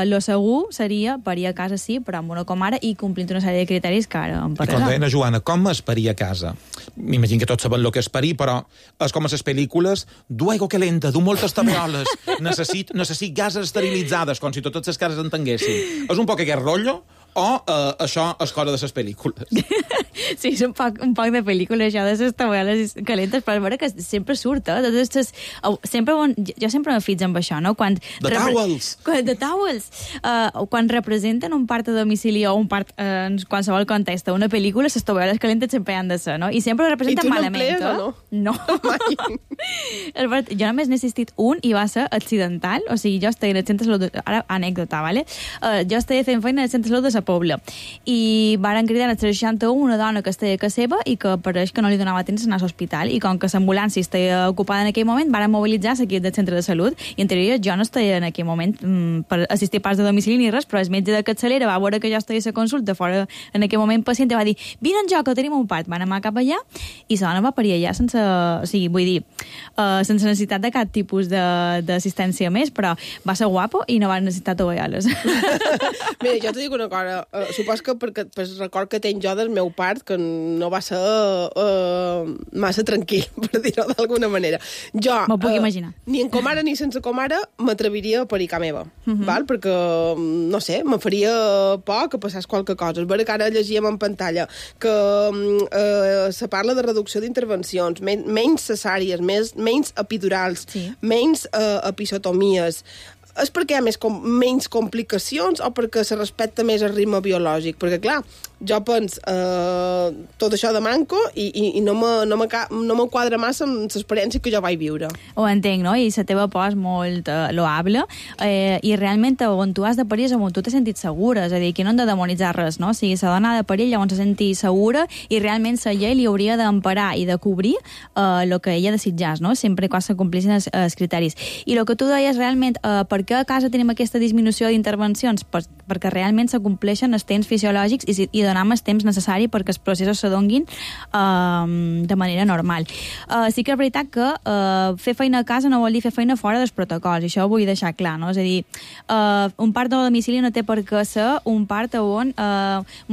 lo segur seria parir a casa, sí, però amb una comare i complint una sèrie de criteris que ara em parlarà. I com deia Joana, com es parir a casa? M'imagino que tots saben el que és parir, però és com a les pel·lícules, du aigua calenta, du moltes tabeoles, necessit gases esterilitzades, com si totes les cases entenguessin. És un poc aquest rotllo, o això és cosa de les pel·lícules? Sí, és un poc de pel·lícula, això de les tabeoles calentes, però és vera que sempre surt, jo sempre me fix amb això, no? De towels! Quan representen un part a domicili o un part en qualsevol context una pel·lícula, les tabeoles calentes sempre han de ser, no? I sempre ho representen malament. I tu no no? No. Jo només n'he assistit un i va ser accidental, o sigui, jo estava en el centre de salut, ara anècdota, ¿vale? Jo estava fent feina en el centre de salut de la Pobla i varen cridar al 61 una dona que estava a casa seva i que pareix que no li donava temps d'anar a l'hospital, i com que l'ambulància estava ocupada en aquell moment, varen mobilitzar l'equip del centre de salut, i en teoria jo no estava en aquell moment per assistir parts de domicili ni res, però el metge de capçalera va veure que jo estava a la consulta fora en aquell moment pacient i va dir, vine en jo que tenim un part. Van anar cap allà i la dona va parir allà sense, o sigui, vull dir, sense necessitat de cap tipus d'assistència més, però va ser guapo i no va necessitar tovalloles. Mira, jo t'ho dic una cosa, supos que perquè el record que tenc jo del meu part, que no va ser massa tranquil, per dir-ho d'alguna manera. Jo, m'ho puc imaginar. Ni en comare ni sense comare m'atreviria a parir a meva, val? Perquè, no sé, me faria por que passés qualque cosa. És vera que ara llegíem en pantalla que se parla de reducció d'intervencions, menys cesàries, menys epidurals, menys episiotomies. És perquè hi ha menys complicacions o perquè se respecta més el ritme biològic? Perquè, clar, jo penso tot això de manco i no me quadra massa amb l'experiència que jo vaig viure. Ho entenc, no? I la teva por és molt loable i realment on tu has de parir és on tu t'has sentit segura, és a dir, que no hem de demonitzar res, no? O sigui, la dona ha de parir llavors se senti segura i realment la llei li hauria d'emparar i de cobrir el que ella desitjàs, no? Sempre quan se complissin els criteris. I el que tu deies realment, per què a casa tenim aquesta disminució d'intervencions? Perquè realment se compleixen els temps fisiològics i donar el temps necessari perquè els processos se donguin de manera normal. Sí que és veritat que fer feina a casa no vol dir fer feina fora dels protocols, i això ho vull deixar clar, no? És a dir, un part de domicili no té per què ser un part on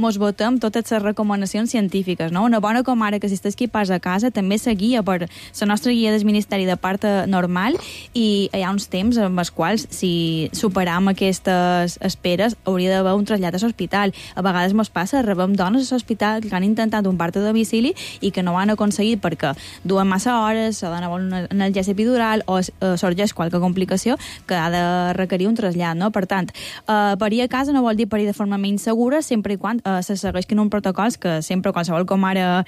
mos votem totes les recomanacions científiques, no? Una bona comare que assisteix equipats a casa també se guia per la nostra guia del Ministeri de part normal, i hi ha uns temps amb els quals, si superam aquestes esperes, hauria d'haver un trasllat a l'hospital. A vegades mos passa, rebem dones a l'hospital que han intentat un part a domicili i que no ho han aconseguit perquè duen massa hores, la dona vol un analgèsic epidural o sorgeix qualque complicació que ha de requerir un trasllat, no? Per tant, parir a casa no vol dir parir de forma menys segura, sempre i quan se segueixin uns protocols que sempre qualsevol comare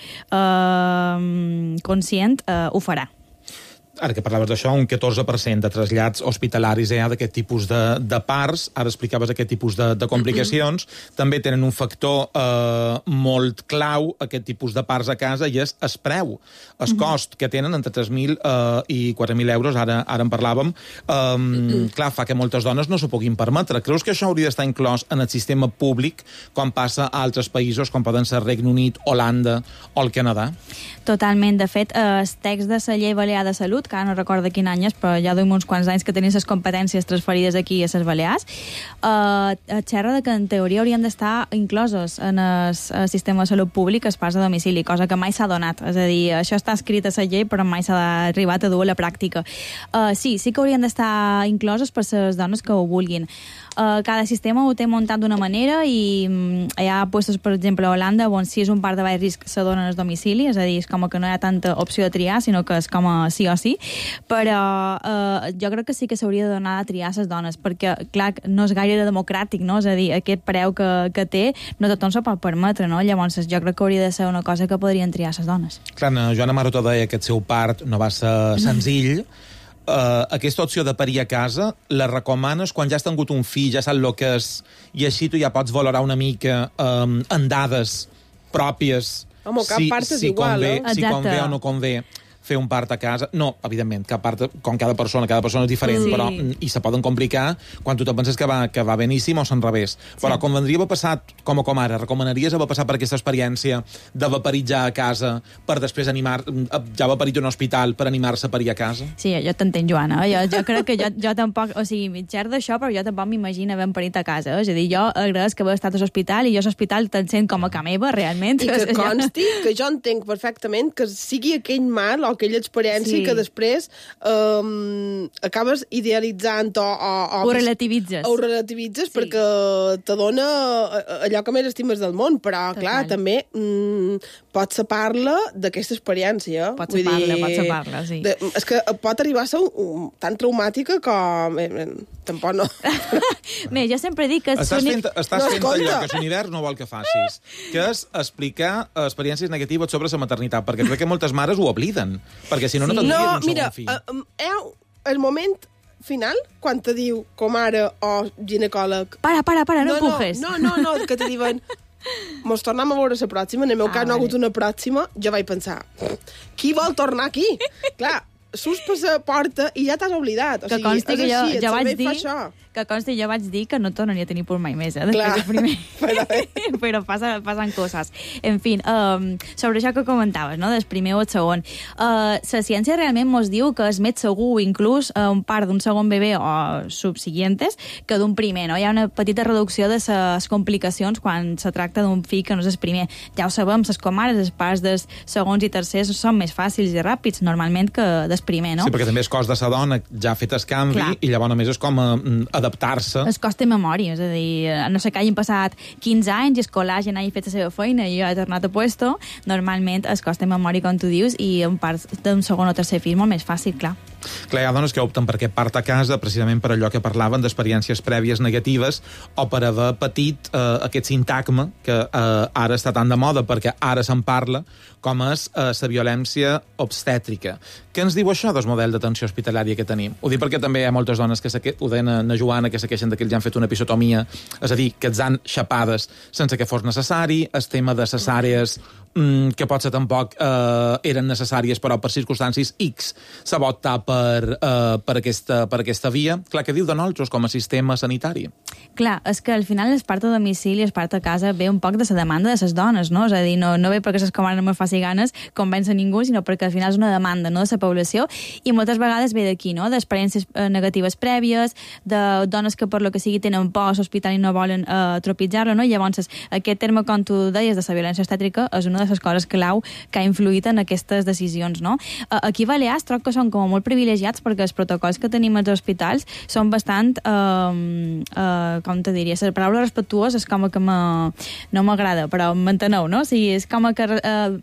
conscient ho farà. Ara que parlaves d'això, un 14% de trasllats hospitalaris d'aquest tipus de parts, ara explicaves aquest tipus de complicacions, també tenen un factor molt clau, aquest tipus de parts a casa, i és el preu, el cost que tenen entre 3.000 i 4.000 euros, ara en parlàvem, clar, fa que moltes dones no s'ho puguin permetre. Creus que això hauria d'estar inclòs en el sistema públic quan passa a altres països, com poden ser Regne Unit, Holanda o el Canadà? Totalment. De fet, el text de la llei balear de salut, que ara no recordo quin any és, però ja duim uns quants anys que tenien les competències transferides aquí a les Balears, xerra de que en teoria haurien d'estar inclosos en el sistema de salut públic els parts a domicili, cosa que mai s'ha donat. És a dir, això està escrit a la llei, però mai s'ha arribat a dur a la pràctica. Sí que haurien d'estar incloses per les dones que ho vulguin. Cada sistema ho té muntat d'una manera i hi ha puestos, per exemple, a Holanda, on si és un part de baix risc se donen al domicili, és a dir, és com que no hi ha tanta opció de triar, sinó que és com a sí o sí, però jo crec que sí que s'hauria de donar a triar les dones, perquè, clar, no és gaire democràtic, no? És a dir, aquest preu que té no tothom s'ho pot permetre, no? Llavors jo crec que hauria de ser una cosa que podrien triar les dones. Clar, Joana Maroto deia que el seu part no va ser senzill. Aquesta opció de parir a casa la recomanes quan ja has tingut un fill, ja saps el que és, i així tu ja pots valorar una mica en dades pròpies Home, cap part és igual, si convé o no convé fer un part a casa. No, evidentment, cap part, com cada persona és diferent, Sí. però i se poden complicar quan tu te penses que va beníssim o s'en revés. Però convendria haver passat, com ara, recomanaries haver passat per aquesta experiència de vaporitzar a casa per després ja vaporit un hospital per animar-se a parir a casa? Sí, jo t'entenc, Joana. Jo crec que jo tampoc... O sigui, mitjar d'això, però jo tampoc m'imagino haver parit a casa. És a dir, jo agraeix que haver estat a l'hospital i jo a l'hospital te'n sent com a ca meva, realment. I que consti que jo entenc perfectament que sigui aquell mal o aquella experiència que després acabes idealitzant ho relativitzes. Ho relativitzes perquè te dona allò que més estimes del món, però, clar, també pots separar-la d'aquesta experiència. Pots separar-la, sí. És que pot arribar a ser tan traumàtica com... Tampoc no. Bé, jo sempre dic que... Estàs fent allò que l'univers no vol que facis, que és explicar experiències negatives sobre la maternitat, perquè crec que moltes mares ho obliden, perquè si no tindrien un segon fill. No, mira, el moment final, quan te diu comare o ginecòleg... Para, no empujes. No, que te diuen... Mos tornem a veure la pròxima, en el meu cas no ha hagut una pròxima, jo vaig pensar, qui vol tornar aquí? Clar, surts per la porta i ja t'has oblidat. O sigui, consti que jo vaig dir... Això. Que consti, jo vaig dir que no tornaria a tenir por mai més, Clar, però passen coses. En fi, sobre això que comentaves, no?, del primer o el segon. La ciència realment mos diu que és més segur inclús un part d'un segon bebè o subsiguientes que d'un primer, no? Hi ha una petita reducció de les complicacions quan se tracta d'un fill que no és el primer. Ja ho sabem, les comares, els parts dels segons i tercers són més fàcils i ràpids, normalment, que del primer, no? Sí, perquè també és cos de la dona, ja ha fet el canvi, clar, i llavors només és com adaptar-se. És cost de memòria, és a dir, no sé que hagin passat 15 anys i el col·lagen hagi fet la seva feina i jo he tornat a puesto, normalment és cost de memòria, com tu dius, i en part d'un segon o tercer fill molt més fàcil, clar. Clar, hi ha dones que opten per aquest part a casa precisament per allò que parlaven d'experiències prèvies negatives o per haver patit aquest sintagma que ara està tan de moda perquè ara se'n parla, com és la violència obstètrica. Què ens diu això del model d'atenció hospitalària que tenim? Ho dic perquè també hi ha moltes dones que ho deien a Joana, que se queixen que els han fet una episiotomia, és a dir, que els han xapades sense que fos necessari, el tema de les àrees que potser tampoc eren necessàries, però per circumstàncies X s'ha optat per aquesta via. Clar, què diu de nosaltres com a sistema sanitari? Clar, és que al final el part a domicili i el part a casa ve un poc de la demanda de les dones, no? És a dir, no ve perquè les comares no me faci ganes convèncer ningú, sinó perquè al final és una demanda, no?, de la població, i moltes vegades ve d'aquí, no?, d'experiències negatives prèvies, de dones que per lo que sigui tenen por a l'hospital i no volen tropitzar-lo, no? I llavors aquest terme, com tu deies, de la violència obstètrica és una de les coses clau que ha influït en aquestes decisions, no? Aquí a Balears troc que són com molt privilegiats perquè els protocols que tenim als hospitals són bastant, com te diria, la paraula respectuós és com que no m'agrada, però m'enteneu, no? O sigui, és com que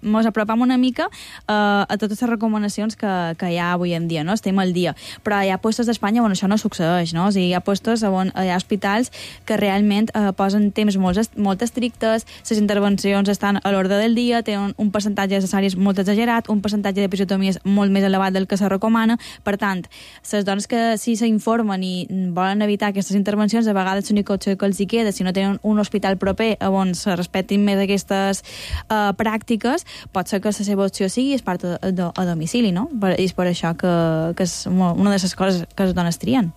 mos apropam una mica a totes les recomanacions que hi ha avui en dia, no? Estem al dia. Però hi ha puestos d'Espanya on això no succeeix, no? O sigui, hi ha puestos on hi ha hospitals que realment posen temps molt estrictes, les intervencions estan a l'ordre del dia, tenen un percentatge de cesàries molt exagerat, un percentatge d'episiotomies molt més elevat del que se recomana. Per tant, les dones que sí s'informen i volen evitar aquestes intervencions, a vegades l'única opció que els hi queda, si no tenen un hospital proper on se respectin més aquestes pràctiques, pot ser que la seva opció sigui part a domicili, no? I és per això que és una de les coses que les dones trien.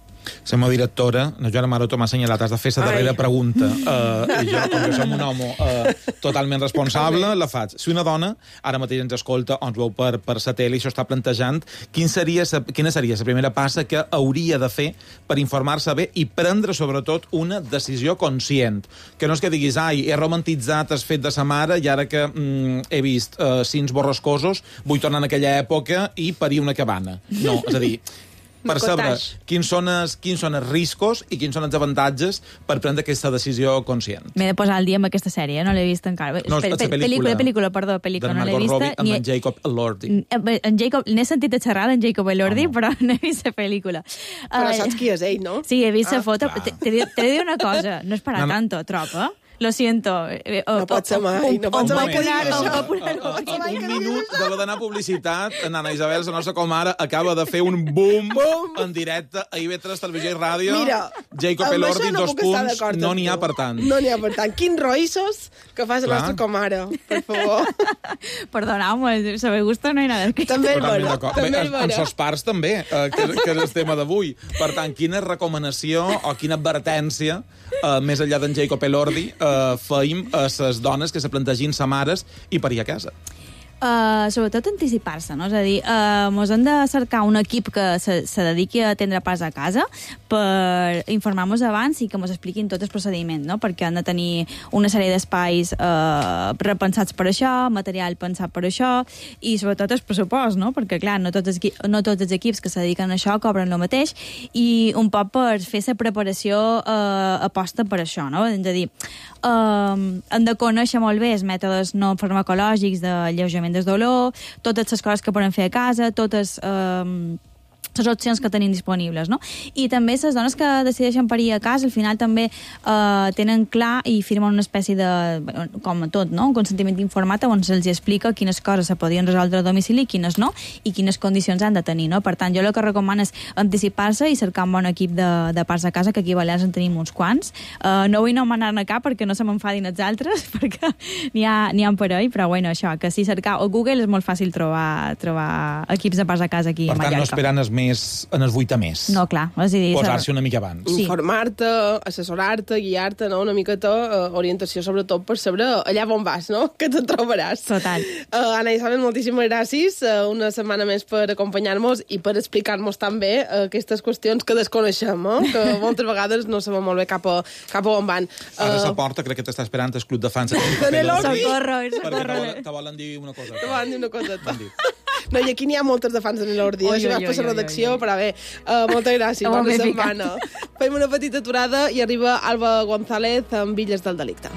La meva directora, la Joana Maroto, m'ha assenyalat, has de fer la darrera pregunta. I jo, com que som un home totalment responsable, la faig. Si una dona, ara mateix ens escolta, o ens veu per la tele, i això està plantejant, quina seria la primera passa que hauria de fer per informar-se bé i prendre, sobretot, una decisió conscient? Que no és que diguis, he romantitzat el fet de sa mare i ara que he vist cins borrascosos, vull tornar en aquella època i parir una cabana. No, és a dir, percebre quins són els riscos i quins són els avantatges per prendre aquesta decisió conscient. M'he de posar al dia amb aquesta sèrie, no l'he vist encara. No, pel·lícula, no l'he vist. Amb en Jacob Elordi. N'he sentit a xerrar d'en Jacob Elordi, però no he vist la pel·lícula. Però saps qui és ell, no? Sí, he vist la foto. T'he de dir una cosa, no és para tanto, tropa. Lo siento. No pot ser mai, no pot ser mai que diguis això. Un minut d'anar a publicitat, Anna Isabel, la nostra comare, acaba de fer un boom en directe a IB3 Televisió i Ràdio. Mira, Jacob Elordi, 2 punts, no n'hi ha per tant. No n'hi ha per tant. Quins roïssos que fa la nostra comare, per favor. Perdoneu-me, se me gusta, no hi ha nada. També és vera. En sos pares també, que és el tema d'avui. Per tant, quina recomanació o quina advertència, més enllà d'en Jacob Elordi, feim a les dones que se plantegin sa mares i parir a casa? Sobretot anticipar-se, no? És a dir, mos hem de cercar un equip que se dediqui a atendre pas a casa per informar-nos abans i que mos expliquin tot el procediment, no? Perquè han de tenir una sèrie d'espais repensats per això, material pensat per això i sobretot el pressupost, no? Perquè, clar, no tots els equips que se dediquen a això cobren el mateix i un poc per fer la preparació aposta per això, no? És a dir, hem de conèixer molt bé els mètodes no farmacològics d'alleujament del dolor, totes les coses que podem fer a casa, totes les opcions que tenim disponibles, no? I també les dones que decideixen parir a casa, al final també tenen clar i firmen una espècie de, com tot, no? Un consentiment informat on se'ls explica quines coses se podien resoldre a domicili, quines no, i quines condicions han de tenir, no? Per tant, jo el que recomano és anticipar-se i cercar un bon equip de parts a casa, que aquí a Balears en tenim uns quants. No vull nomenar-ne cap perquè no se m'enfadin els altres, perquè n'hi ha per ahí, però bueno, això, que si cercar a Google és molt fàcil trobar equips de parts a casa aquí a Mallorca. Per tant, no esperen en els 8 a més. No, clar. És a dir, posar-se una mica abans. Sí. Informar-te, assessorar-te, guiar-te, no? Una miqueta orientació, sobretot, per saber allà on vas, no? Que te'n trobaràs. Total. Anna Isabel, moltíssimes gràcies. Una setmana més per acompanyar-nos i per explicar-nos també aquestes qüestions que desconeixem, que moltes vegades no sabem molt bé cap a on van. Ara la porta, crec que t'està esperant el club de fans. Socorro. Perquè te volen dir una cosa. Te volen dir una cosa. No, i aquí n'hi ha moltes de fans de l'Elordi. Això vas per la redacció, però bé, moltes gràcies. Bona setmana. Fem una petita aturada i arriba Alba González amb Villes del Delicte.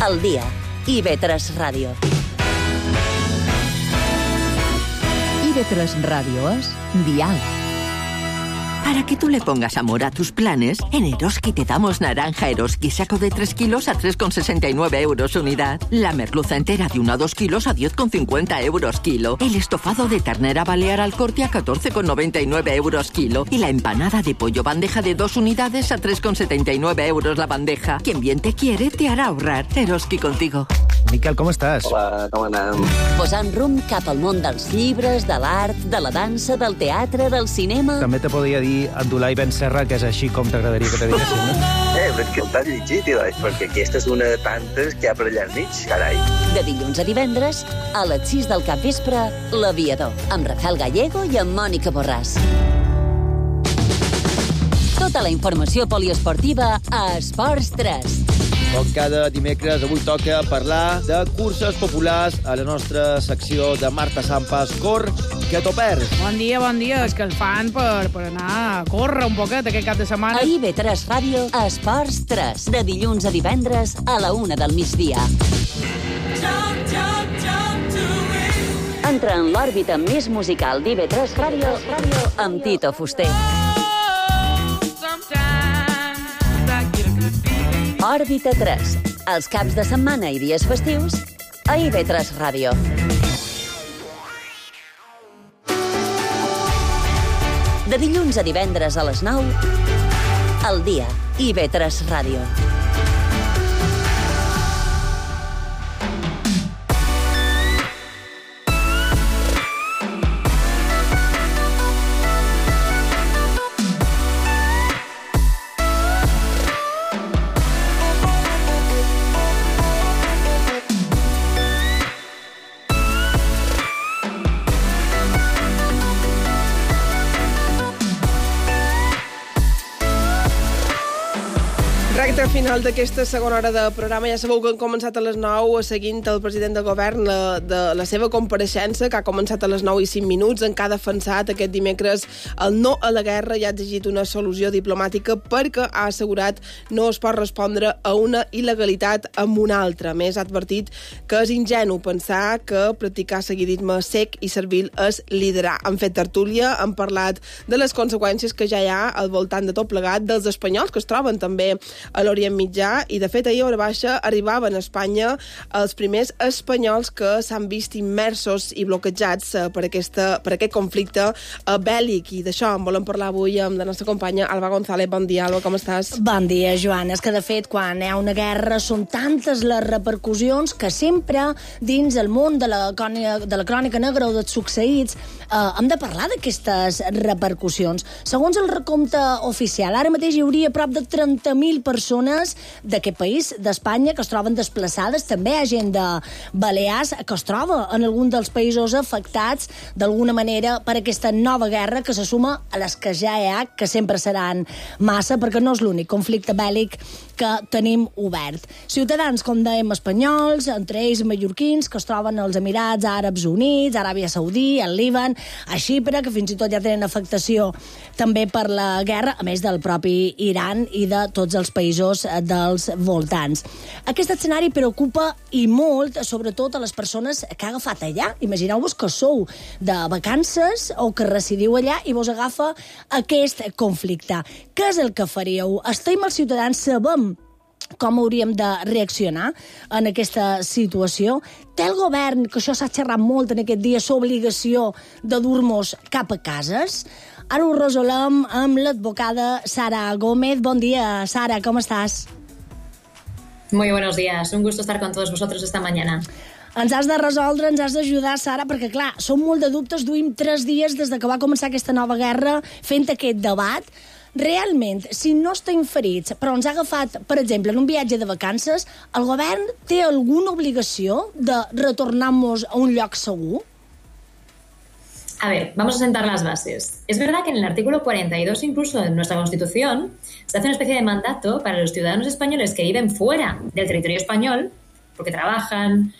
Al dia, IB3 Ràdio. IB3 Ràdio és Dial. Para que tú le pongas amor a tus planes, en Eroski te damos naranja Eroski saco de 3 kilos a 3,69 euros unidad. La merluza entera de 1 a 2 kilos a 10,50 euros kilo. El estofado de ternera balear al corte a 14,99 euros kilo. Y la empanada de pollo bandeja de 2 unidades a 3,79 euros la bandeja. Quien bien te quiere te hará ahorrar. Eroski contigo. Miquel, com estàs? Hola, com anem? Posant rumb cap al món dels llibres, de l'art, de la dansa, del teatre, del cinema... També te podria dir Abdulai Ben Serra, que és així com t'agradaria que te diguessin, no? Però és que el t'has llegit, perquè aquesta és una de tantes que hi ha per allà al mig, carai. De dilluns a divendres, a les 6 del capvespre, L'Aviador, amb Rafael Gallego i amb Mònica Borràs. Tota la informació poliesportiva a Esports 3. Com cada dimecres, avui toca parlar de curses populars a la nostra secció de Marta Sampas, Cor, que t'ho perds. Bon dia, és que el fan per anar a córrer un poquet aquest cap de setmana. A IB3 Ràdio, a Esports 3, de dilluns a divendres a la 1 del migdia. Entra en l'òrbita més musical d'IB3 Ràdio amb Tito Fuster. Òrbita 3, els caps de setmana i dies festius, a IB3 Ràdio. De dilluns a divendres a les 9, al dia, IB3 Ràdio. recte final d'aquesta segona hora de programa. Ja sabeu que han començat a les 9 seguint el president del govern de la seva compareixença, que ha començat a les 9:05, en què ha defensat aquest dimecres el no a la guerra i ha exigit una solució diplomàtica perquè ha assegurat no es pot respondre a una il·legalitat amb una altra. A més, ha advertit que és ingenu pensar que practicar seguidisme sec i servil és liderar. Han fet tertúlia, han parlat de les conseqüències que ja hi ha al voltant de tot plegat, dels espanyols que es troben també a l'Orient Mitjà, i de fet ahir a hora baixa arribaven a Espanya els primers espanyols que s'han vist immersos i bloquejats per aquest conflicte bèl·lic, i d'això en volem parlar avui amb la nostra companya Alba González. Bon dia, Alba, com estàs? Bon dia, Joana. És que de fet quan hi ha una guerra són tantes les repercussions que sempre dins el món de la crònica negra o dels succeïts hem de parlar d'aquestes repercussions. Segons el recompte oficial, ara mateix hi hauria prop de 30.000 persones d'aquest país, d'Espanya, que es troben desplaçades. També hi ha gent de Balears que es troba en algun dels països afectats d'alguna manera per aquesta nova guerra que se suma a les que ja hi ha, que sempre seran massa, perquè no és l'únic conflicte bèl·lic que tenim obert. Ciutadans, com dèiem, espanyols, entre ells mallorquins, que es troben als Emirats Àrabs Units, Aràbia Saudí, al Líban, a Xipre, que fins i tot ja tenen afectació també per la guerra, a més del propi Iran i de tots els països dels voltants. Aquest escenari preocupa i molt, sobretot a les persones que ha agafat allà. Imagineu-vos que sou de vacances o que residiu allà i vos agafa aquest conflicte. Què és el que faríeu? Estem els ciutadans, sabem com hauríem de reaccionar en aquesta situació? Té el govern, que això s'ha xerrat molt en aquest dia, l'obligació de dur-nos cap a cases? Ara ho resolem amb l'advocada Sara Gómez. Bon dia, Sara, com estàs? Muy buenos días, un gusto estar con todos vosotros esta mañana. Ens has de resoldre, ens has d'ajudar, Sara, perquè, clar, són molt de dubtes. Duim 3 dies des que va començar aquesta nova guerra fent aquest debat. Realment, si no estem ferits, però ens ha agafat, per exemple, en un viatge de vacances, el govern té alguna obligació de retornar-nos a un lloc segur? A ver, vamos a sentar las bases. Es verdad que en el artículo 42, incluso de nuestra Constitución, se hace una especie de mandato para los ciudadanos españoles que viven fuera del territorio español, porque trabajan,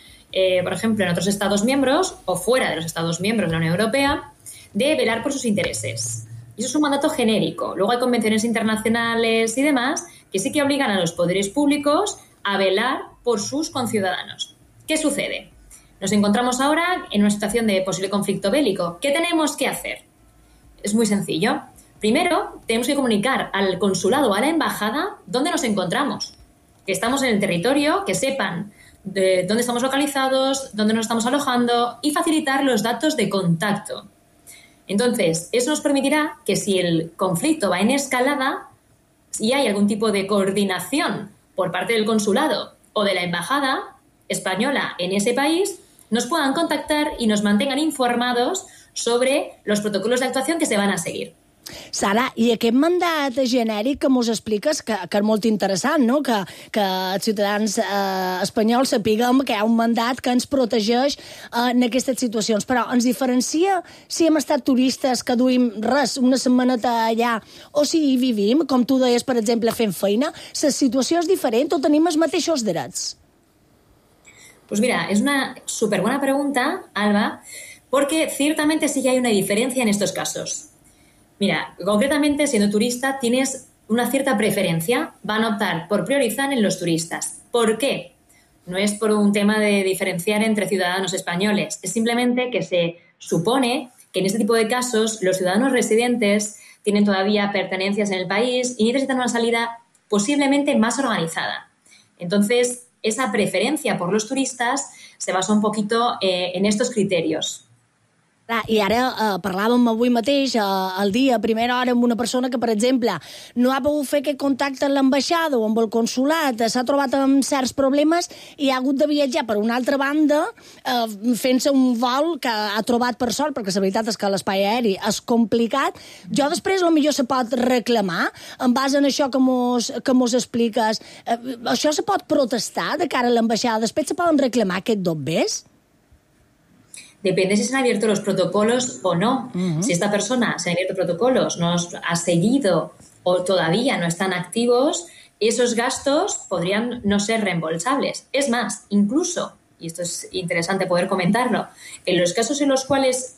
por ejemplo, en otros Estados miembros o fuera de los Estados miembros de la Unión Europea, de velar por sus intereses. Y eso es un mandato genérico. Luego hay convenciones internacionales y demás que sí que obligan a los poderes públicos a velar por sus conciudadanos. ¿Qué sucede? Nos encontramos ahora en una situación de posible conflicto bélico. ¿Qué tenemos que hacer? Es muy sencillo. Primero, tenemos que comunicar al consulado o a la embajada dónde nos encontramos, que estamos en el territorio, que sepan de dónde estamos localizados, dónde nos estamos alojando y facilitar los datos de contacto. Entonces, eso nos permitirá que si el conflicto va en escalada y hay algún tipo de coordinación por parte del consulado o de la embajada española en ese país, nos puedan contactar y nos mantengan informados sobre los protocolos de actuación que se van a seguir. Sara, i aquest mandat genèric que mos expliques, que és molt interessant, no? Que els ciutadans espanyols sapiguem que hi ha un mandat que ens protegeix en aquestes situacions, però ens diferencia si hem estat turistes que duim res, una setmaneta allà, o si hi vivim, com tu deies, per exemple, fent feina. La situació és diferent o tenim els mateixos drets? Pues mira, es una súper buena pregunta, Alba, porque ciertamente sí que hay una diferencia en estos casos. Mira, concretamente, siendo turista, tienes una cierta preferencia. Van a optar por priorizar en los turistas. ¿Por qué? No es por un tema de diferenciar entre ciudadanos españoles. Es simplemente que se supone que en este tipo de casos los ciudadanos residentes tienen todavía pertenencias en el país y necesitan una salida posiblemente más organizada. Entonces, esa preferencia por los turistas se basa un poquito en estos criterios. I ara parlàvem avui mateix, al dia, a primera hora, amb una persona que, per exemple, no ha pogut fer aquest contacte amb l'ambaixada o amb el consulat, s'ha trobat amb certs problemes i ha hagut de viatjar per una altra banda fent-se un vol que ha trobat per sort, perquè la veritat és que l'espai aeri és complicat. Jo després potser se pot reclamar en base a això que mos expliques. Això se pot protestar de cara a l'ambaixada? Després se poden reclamar aquest dobbers? Depende si se han abierto los protocolos o no. Si esta persona se ha abierto protocolos, no ha seguido o todavía no están activos, esos gastos podrían no ser reembolsables. Es más, incluso, y esto es interesante poder comentarlo, en los casos en los cuales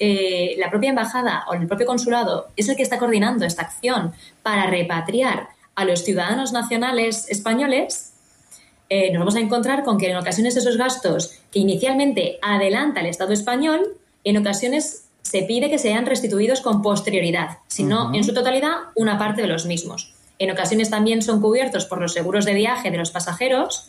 la propia embajada o el propio consulado es el que está coordinando esta acción para repatriar a los ciudadanos nacionales españoles, nos vamos a encontrar con que en ocasiones esos gastos que inicialmente adelanta el Estado español, en ocasiones se pide que sean restituidos con posterioridad, si no en su totalidad una parte de los mismos. En ocasiones también son cubiertos por los seguros de viaje de los pasajeros,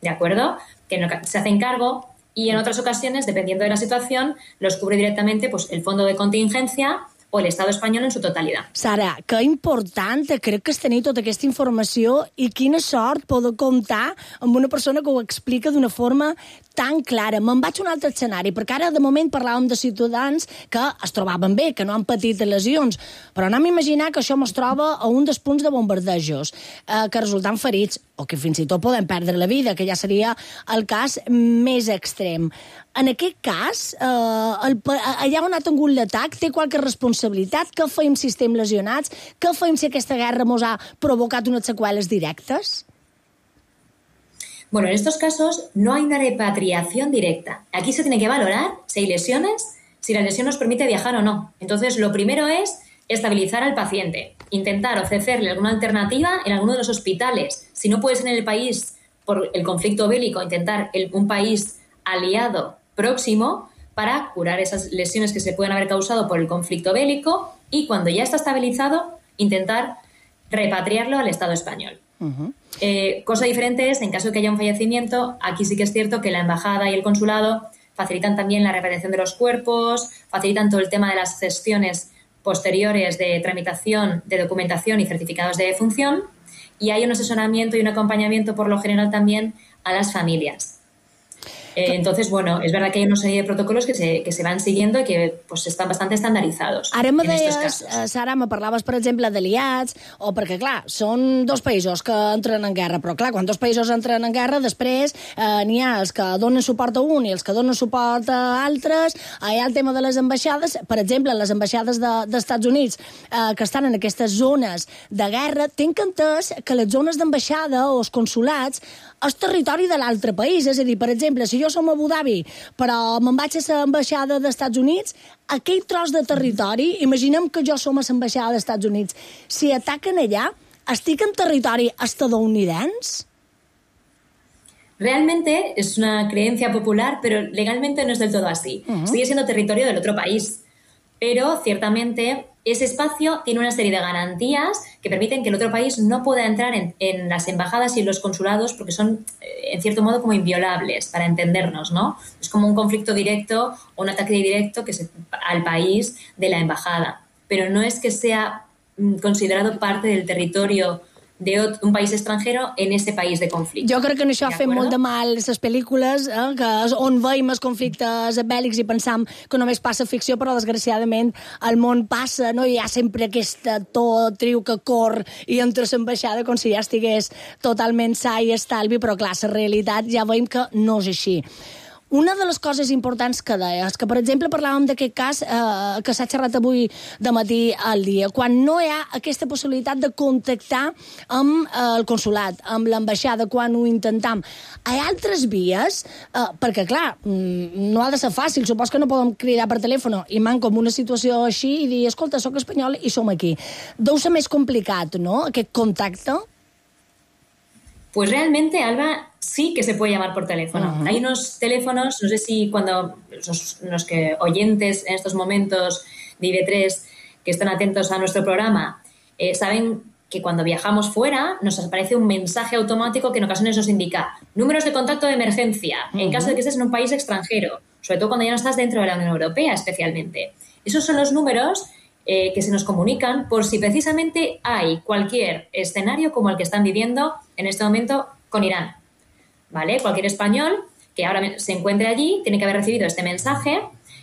¿de acuerdo?, que se hacen cargo, y en otras ocasiones, dependiendo de la situación, los cubre directamente pues, el fondo de contingencia o el Estado espanyol en su totalitat. Sara, que important, crec que és tenir tota aquesta informació i quina sort poder comptar amb una persona que ho explica d'una forma tan clara. Me'n vaig a un altre escenari, perquè ara de moment parlàvem de ciutadans que es trobaven bé, que no han patit lesions, però anem a imaginar que això es troba a un dels punts de bombardejos, que resulten ferits, o que fins i tot poden perdre la vida, que ja seria el cas més extrem. En aquest cas, allà on ha tingut l'atac, té qualque responsabilitat? Què feim si estem lesionats? Què feim si aquesta guerra ens ha provocat unes seqüeles directes? Bueno, en estos casos no hay una repatriación directa. Aquí se tiene que valorar si hay lesiones, si la lesión nos permite viajar o no. Entonces, lo primero es estabilizar al paciente, intentar ofrecerle alguna alternativa en alguno de los hospitales. Si no puede ser en el país por el conflicto bélico, intentar un país aliado próximo para curar esas lesiones que se pueden haber causado por el conflicto bélico y cuando ya está estabilizado, intentar repatriarlo al Estado español. Cosa diferente es, en caso de que haya un fallecimiento, aquí sí que es cierto que la embajada y el consulado facilitan también la repatriación de los cuerpos, facilitan todo el tema de las gestiones posteriores de tramitación de documentación y certificados de defunción, y hay un asesoramiento y un acompañamiento por lo general también a las familias. Entonces, bueno, es verdad que hay una serie de protocolos que se van siguiendo i que pues, estan bastant estandaritzats. Ara me deies, Sara, me parlaves, per exemple, d'aliats, o perquè, clar, són dos països que entren en guerra, però, clar, quan dos països entren en guerra, després n'hi ha els que donen suport a un i els que donen suport a altres. Hi ha el tema de les ambaixades. Per exemple, les ambaixades dels Estats Units que estan en aquestes zones de guerra, tinc entès que les zones d'ambaixada o els consulats és territori de l'altre país. És a dir, per exemple, si jo som a Abu Dhabi, però me'n vaig a l'ambaixada dels Estats Units, aquell tros de territori, imaginem que jo som a l'ambaixada dels Estats Units, si ataquen allà, estic en territori estadounidense? Realmente es una creencia popular, pero legalmente no es del todo así. Sigue siendo territorio del otro país. Pero, ciertamente, ese espacio tiene una serie de garantías que permiten que el otro país no pueda entrar en las embajadas y en los consulados porque son, en cierto modo, como inviolables, para entendernos, ¿no? Es como un conflicto directo o un ataque directo al país de la embajada. Pero no es que sea considerado parte del territorio de un país estranger en ese país de conflicte. Jo crec que això ha fet molt de mal les pel·lícules, on veiem els conflictes bèl·lics i pensam que només passa ficció, però desgraciadament el món passa, no? Hi ha sempre aquesta triu que cor i entra a l'ambaixada com si ja estigués totalment sa i estalvi, però clar, la realitat ja veiem que no és així. Una de les coses importants que deies, que per exemple parlàvem d'aquest cas que s'ha xerrat avui de matí al dia, quan no hi ha aquesta possibilitat de contactar amb el consulat, amb l'ambaixada, quan ho intentam. Hi ha altres vies? Perquè, clar, no ha de ser fàcil, supos que no podem cridar per telèfon i manco en una situació així i dir, escolta, soc espanyol i som aquí. Deu ser més complicat, ¿no?, aquest contacte? Pues realmente, Alba, sí que se puede llamar por teléfono. Hay unos teléfonos, no sé si cuando los que oyentes en estos momentos de IB3 que están atentos a nuestro programa saben que cuando viajamos fuera nos aparece un mensaje automático que en ocasiones nos indica números de contacto de emergencia en caso de que estés en un país extranjero, sobre todo cuando ya no estás dentro de la Unión Europea especialmente. Esos son los números que se nos comunican por si precisamente hay cualquier escenario como el que están viviendo en este momento con Irán. ¿Vale? Cualquier español que ahora se encuentre allí tiene que haber recibido este mensaje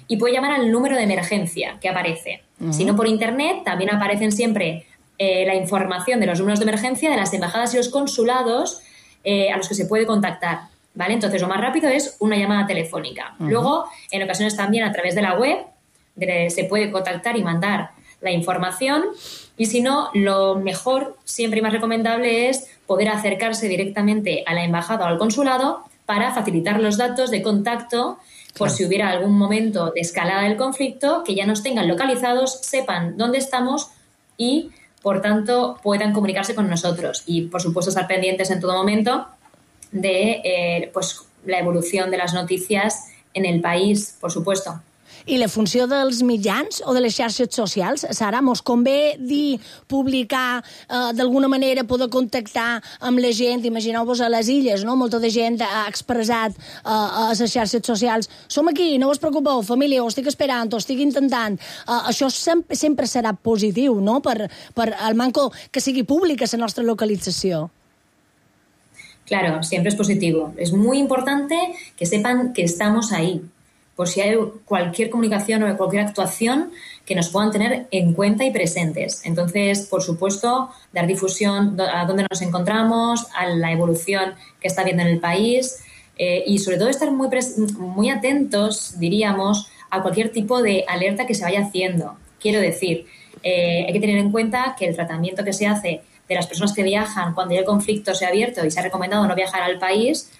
y puede llamar al número de emergencia que aparece. Si no por internet, también aparecen siempre la información de los números de emergencia de las embajadas y los consulados a los que se puede contactar. ¿Vale? Entonces, lo más rápido es una llamada telefónica. Luego, en ocasiones también a través de la web se puede contactar y mandar la información Y si no, lo mejor, siempre y más recomendable, es poder acercarse directamente a la embajada o al consulado para facilitar los datos de contacto por si hubiera algún momento de escalada del conflicto, que ya nos tengan localizados, sepan dónde estamos y, por tanto, puedan comunicarse con nosotros. Y, por supuesto, estar pendientes en todo momento de pues, la evolución de las noticias en el país, por supuesto. I la funció dels mitjans o de les xarxes socials, Sara, mos convé dir, publicar, d'alguna manera poder contactar amb la gent, imagineu-vos a les illes, no? Molta de gent ha expressat a les xarxes socials, som aquí, no us preocupeu, família, ho estic esperant, ho estic intentant. Això sempre serà positiu, no?, per el manco que sigui pública la nostra localització. Claro, siempre es positivo. Es muy importante que sepan que estamos ahí, por si hay cualquier comunicación o cualquier actuación que nos puedan tener en cuenta y presentes. Entonces, por supuesto, dar difusión a dónde nos encontramos, a la evolución que está habiendo en el país y sobre todo estar muy atentos, diríamos, a cualquier tipo de alerta que se vaya haciendo. Quiero decir, hay que tener en cuenta que el tratamiento que se hace de las personas que viajan cuando ya el conflicto se ha abierto y se ha recomendado no viajar al país,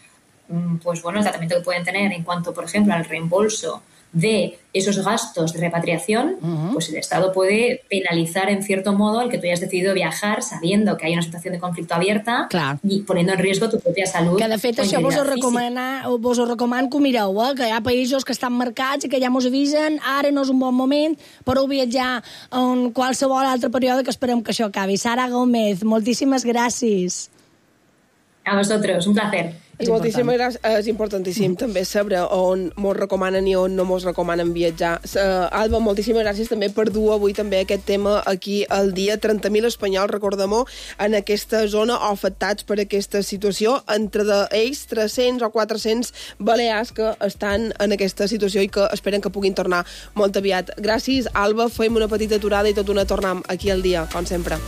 pues bueno, el tratamiento que pueden tener en cuanto, por ejemplo, al reembolso de esos gastos de repatriación, pues el Estado puede penalizar en cierto modo el que tú hayas decidido viajar sabiendo que hay una situación de conflicto abierta y poniendo en riesgo tu propia salud. Que de fet això vos ho recomano que ho mireu, que hi ha països que estan marcats i que ja mos avisen, ara no és un bon moment, però viatjar en qualsevol altre període que esperem que això acabi. Sara Gómez, moltíssimes gràcies. A vosotros, un placer. És moltíssimes gràcies. És importantíssim també saber on mos recomanen i on no mos recomanen viatjar. Alba, moltíssimes gràcies també per dur avui també aquest tema aquí al dia. 30.000 espanyols, recordem-ho, en aquesta zona o afectats per aquesta situació, entre ells 300 o 400 balears que estan en aquesta situació i que esperen que puguin tornar molt aviat. Gràcies, Alba. Fem una petita aturada i tot una tornem aquí al dia, com sempre.